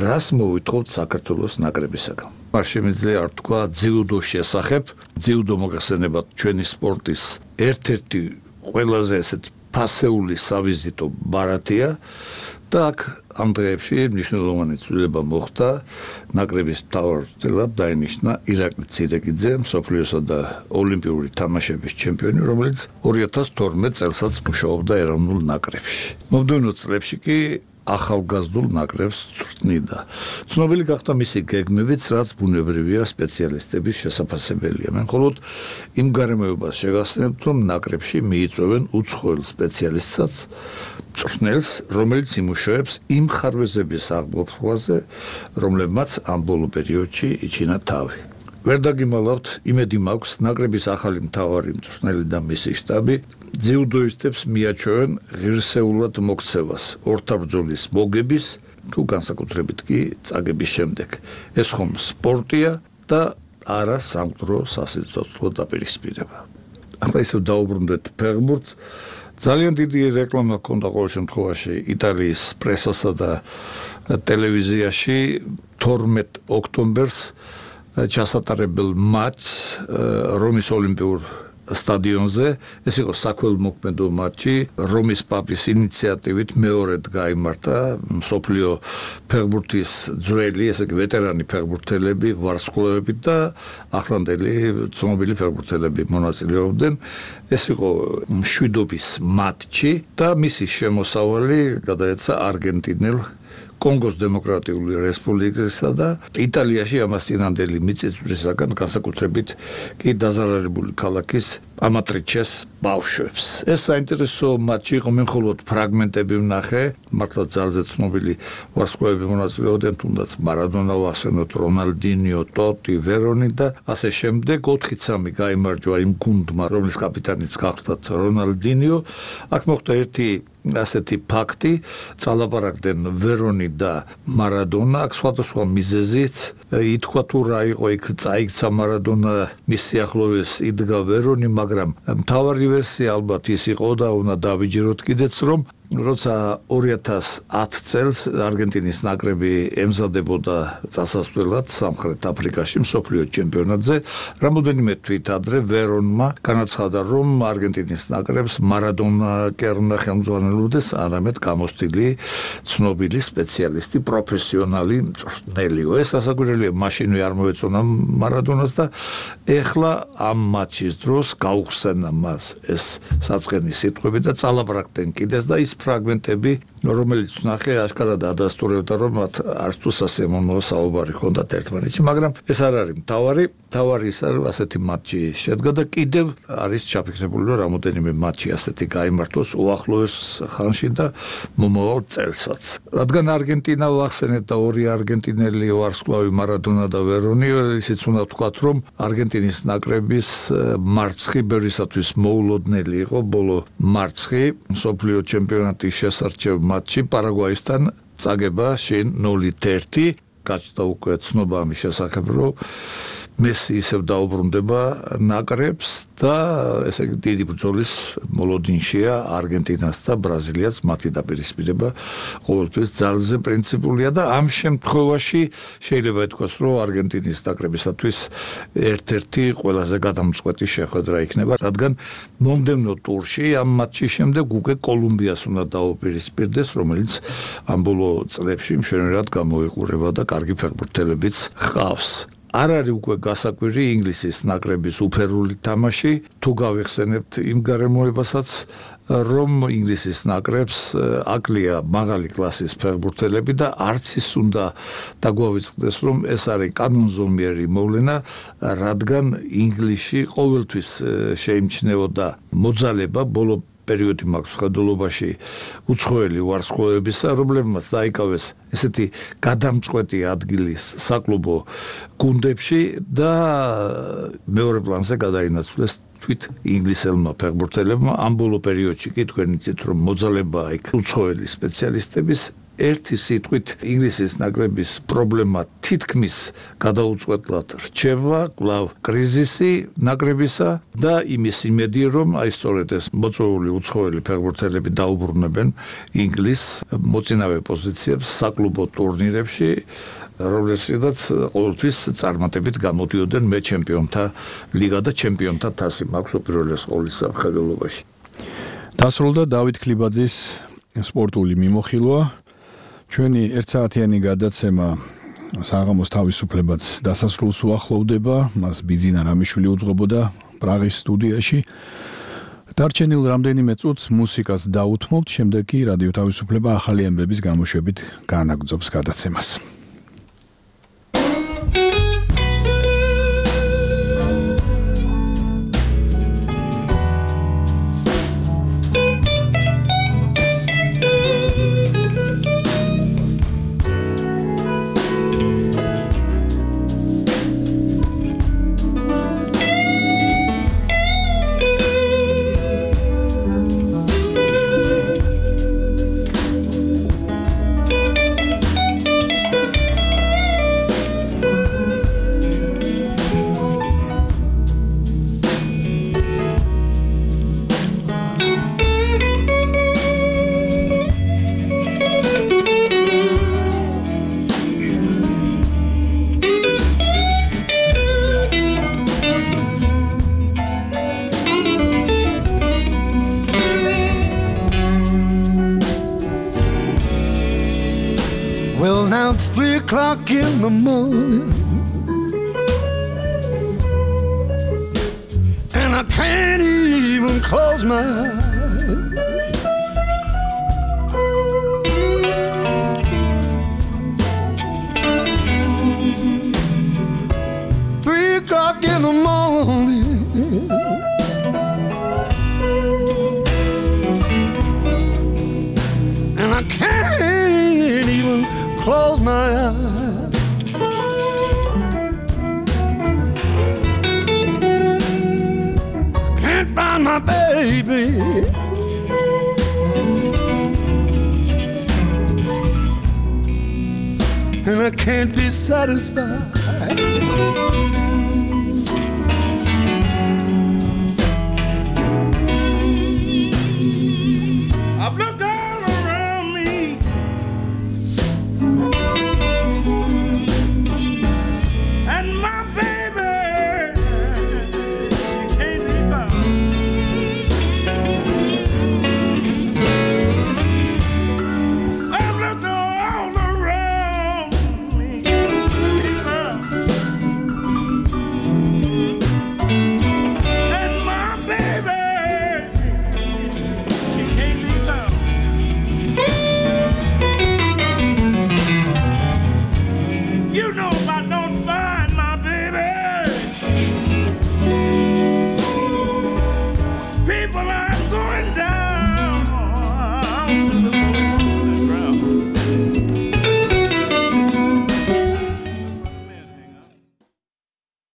რას მოვითხოვთ საქართველოს ნაკრებისაგან. არ შემიძლია არ თქვა ძიუდოს შესახებ, ძიუდო მოგახსენებათ ჩვენი სპორტის ერთ-ერთი ყველაზე ესეთ ფასეული სავიზიტო ბარათია და აქ ამ დღეებში მნიშვნელოვანი ცვლილება მოხდა. ნაკრების მთავარწილად დაინიშნა ირაკლი ცირეკიძე, მსოფლიოსა და ოლიმპიური თამაშების ჩემპიონი, რომელიც ორი ათას თორმეტ წელსაც მუშაობდა ეროვნულ ნაკრებში. მომდევნო წლებში კი ახალგაზრდულ ნაკრებს წვრთნიდა. ცნობილი გახდა მისი გეგმებიც, რაც ბუნებრივია სპეციალისტების შესაძლებელია. მე მხოლოდ იმ გარემოებას შეგახსენებთ, რომ ნაკრებში მიიწვევენ უცხოელ სპეციალისტსაც, წვრთნელს, რომელიც იმუშავებს იმ ხარვეზების აღგოფვაზე, რომლებმაც ამ ბოლო პერიოდში იჩინა თავი. ვერ დაგიმალავთ, იმედი მაქვს, ნაკრების ახალი მთავარი მწვრთნელი და მისი შტაბი ძიუდოისტებს მიაჩვევენ ღირსეულად მოქცევას, ორთაბრძოლის მოგების თუ განსაკუთრებით კი წაგების შემდეგ. ეს ხომ სპორტია და არა სამკვდრო სასიცოცხლო დაპირისპირება. ახლა ისევ დაუბრუნდეთ ფეხბურთს. ძალიან დიდი რეკლამა ჰქონდა ყოველ შემთხვევაში იტალიის პრესასა და ტელევიზიაში თორმეტ ოქტომბერს ჩასატარებელ მატჩს რომის ოლიმპიურ სტადიონზე. ეს იყო საქველმოქმედო მატჩი, რომის პაპის ინიციატივით მეორედ გაიმართა. მსოფლიო ფეხბურთის ძველი, ესე იგი ვეტერანი ფეხბურთელები, ვარსკვლავები და ახლანდელი ცნობილი ფეხბურთელები მონაწილეობდნენ. ეს იყო მშვიდობის მატჩი და მისი შემოსავალი გადაეცა არგენტინელ კონგოს დემოკრატიული რესპუბლიკასა და იტალიაში ამას წინანდელი მიწისძვრისაგან განსაკუთრებით კი დაზარალებული ქალაქის ამატრიჩეს ბავშვებს. ეს საინტერესო მატჩი იყო, მე მხოლოდ ფრაგმენტები ვნახე, მართლა ძალზე ცნობილი ვარსკვლავები მონაწილეობდნენ, თუნდაც მარადონა, ვახსენოთ რონალდინიო, ტოტი, ვერონი და ასე შემდეგ. ოთხი სამი გაიმარჯვა იმ გუნდმა, რომლის კაპიტანიც გახდათ რონალდინიო. აქ მოხდა ერთი ასეთი ფაქტი, წალაპარაკდნენ ვერონი და მარადონა, აქ სხვადასხვა მიზეზით ითქვა თუ რა იყო იქ, წაიქცა მარადონა, მის სიახლოვეს იდგა ვერონი, მაგრამ მთავარი ვერსია ალბათ ის იყო და უნდა დავიჯეროთ კიდეც, რომ როცა ორი ათას ათ წელს არგენტინის ნაკრები ემზადებოდა წასასვლელად სამხრეთ აფრიკაში მსოფლიო ჩემპიონატზე, რამოდენიმე თვით ადრე ვერონმა განაცხადა, რომ არგენტინის ნაკრებს მარადონა კი არ უნდა ხელმძღვანელობდეს, არამედ გამოსტილი ცნობილი სპეციალისტი, პროფესიონალი მწვრთნელიო. ეს ასაკვირველია, მაშინვე არ მოეწონა მარადონას და ეხლა ამ მატჩის დროს გაუხსენა მას ეს საწყენი სიტყვები და წალაბრაკდნენ კიდეს და ის ფრაგმენტები, რომელიც ნახე აშკარად ადასტურებდა, რომ მათ არც თუ სასიამოვნო საუბარი ჰქონდათ ერთმანეთში, მაგრამ ეს არ არის მთავარი. მთავარი ის არის, ასეთი მატჩი შედგა და კიდევ არის ჩაფიქრებული, რომ რამოდენიმე მატჩი ასეთი გაიმართოს უახლოეს ხანში და მომავალ წელსაც. რადგან არგენტინა ვახსენეთ და ორი არგენტინელი ვარსკვლავი მარადონა და ვერონი, ისიც უნდა ვთქვათ, რომ არგენტინის ნაკრების მარცხი ბევრისათვის მოულოდნელი იყო ბოლო მარცხი მსოფლიო ჩემპიონატის შესარჩევ მატჩი პარაგვაისთან წაგება შინ ნულით ერთი, გაჩნდა უკვე ცნობა ამის შესახებ, რომ მესი ისევ დაუბრუნდება ნაკრებს და ესე იგი დიდი ბრძოლის მოლოდინშია არგენტინას და ბრაზილიას, მათი დაპირისპირება ყოველთვის ძალზე პრინციპულია და ამ შემთხვევაში შეიძლება ითქვას, რომ არგენტინის ნაკრებისათვის ერთ-ერთი ყველაზე გადამწყვეტი შეხვედრა იქნება, რადგან მომდევნო ტურში ამ მატჩის შემდეგ უკვე კოლუმბიას უნდა დაუპირისპირდეს, რომელიც ამ ბოლო წლებში მშვენივრად გამოიყურება და კარგი ფეხბურთელებიც ჰყავს. არ არის უკვე გასაკვირი ინგლისის ნაკრების უფერული თამაში, თუ გავიხსენებთ იმ გარემოებასაც, რომ ინგლისის ნაკრებს აკლია მაღალი კლასის ფეხბურთელები და არც ის უნდა დაგვავიწყდეს, რომ ეს არის კანონზომიერი მოვლენა, რადგან ინგლისში ყოველთვის შეიმჩნეოდა მოძალება ბოლო პერიოდი მაქვს ხედულობაში უცხოელი ვარსკვლავებისა, რომლებმაც დაიკავეს ესეთი გადამწყვეტი ადგილი საკლუბო გუნდებში და მეორე პლანზე გადაინაცვლეს თვით ინგლისელმა ფეხბურთელებმა. ამ ბოლო პერიოდში კი თქვენ იცით, რომ მოძალება იქ უცხოელი სპეციალისტების ერთი სიტყვით ინგლისის ნაკრების პრობლემა თითქმის გადაუწყვეტლად რჩება, კვლავ კრიზისი ნაკრებისა და იმის იმედი, რომ აი სწორედ ეს მოწვეული უცხოელი ფეხბურთელები დაუბრუნებენ ინგლისს მოწინავე პოზიციებს საკლუბო ტურნირებში, რომლებსაც ყოველთვის წარმატებით გამოდიოდნენ მე ჩემპიონთა ლიგა და ჩემპიონთა თასი მაქვს უპირველეს ყოვლისა ხედულობაში. დასრულდა დავით ქლიბაძის სპორტული მიმოხილვა. ჩვენი ერთსაათიანი გადაცემა საღამოს თავისუფლებაც დასასრულს უახლოვდება, მას ბიძინა რამიშვილი უძღვებოდა პრაღის სტუდიაში. დარჩენილ რამდენიმე წუთს მუსიკას დაუთმობთ, შემდეგ კი რადიო თავისუფლება ახალი ამბების გამოშვებით განაგრძობს გადაცემას. In the morning, and I can't even close my eyes. Three o'clock in the morning, and I can't even close my eyes. Find my baby, and I can't be satisfied.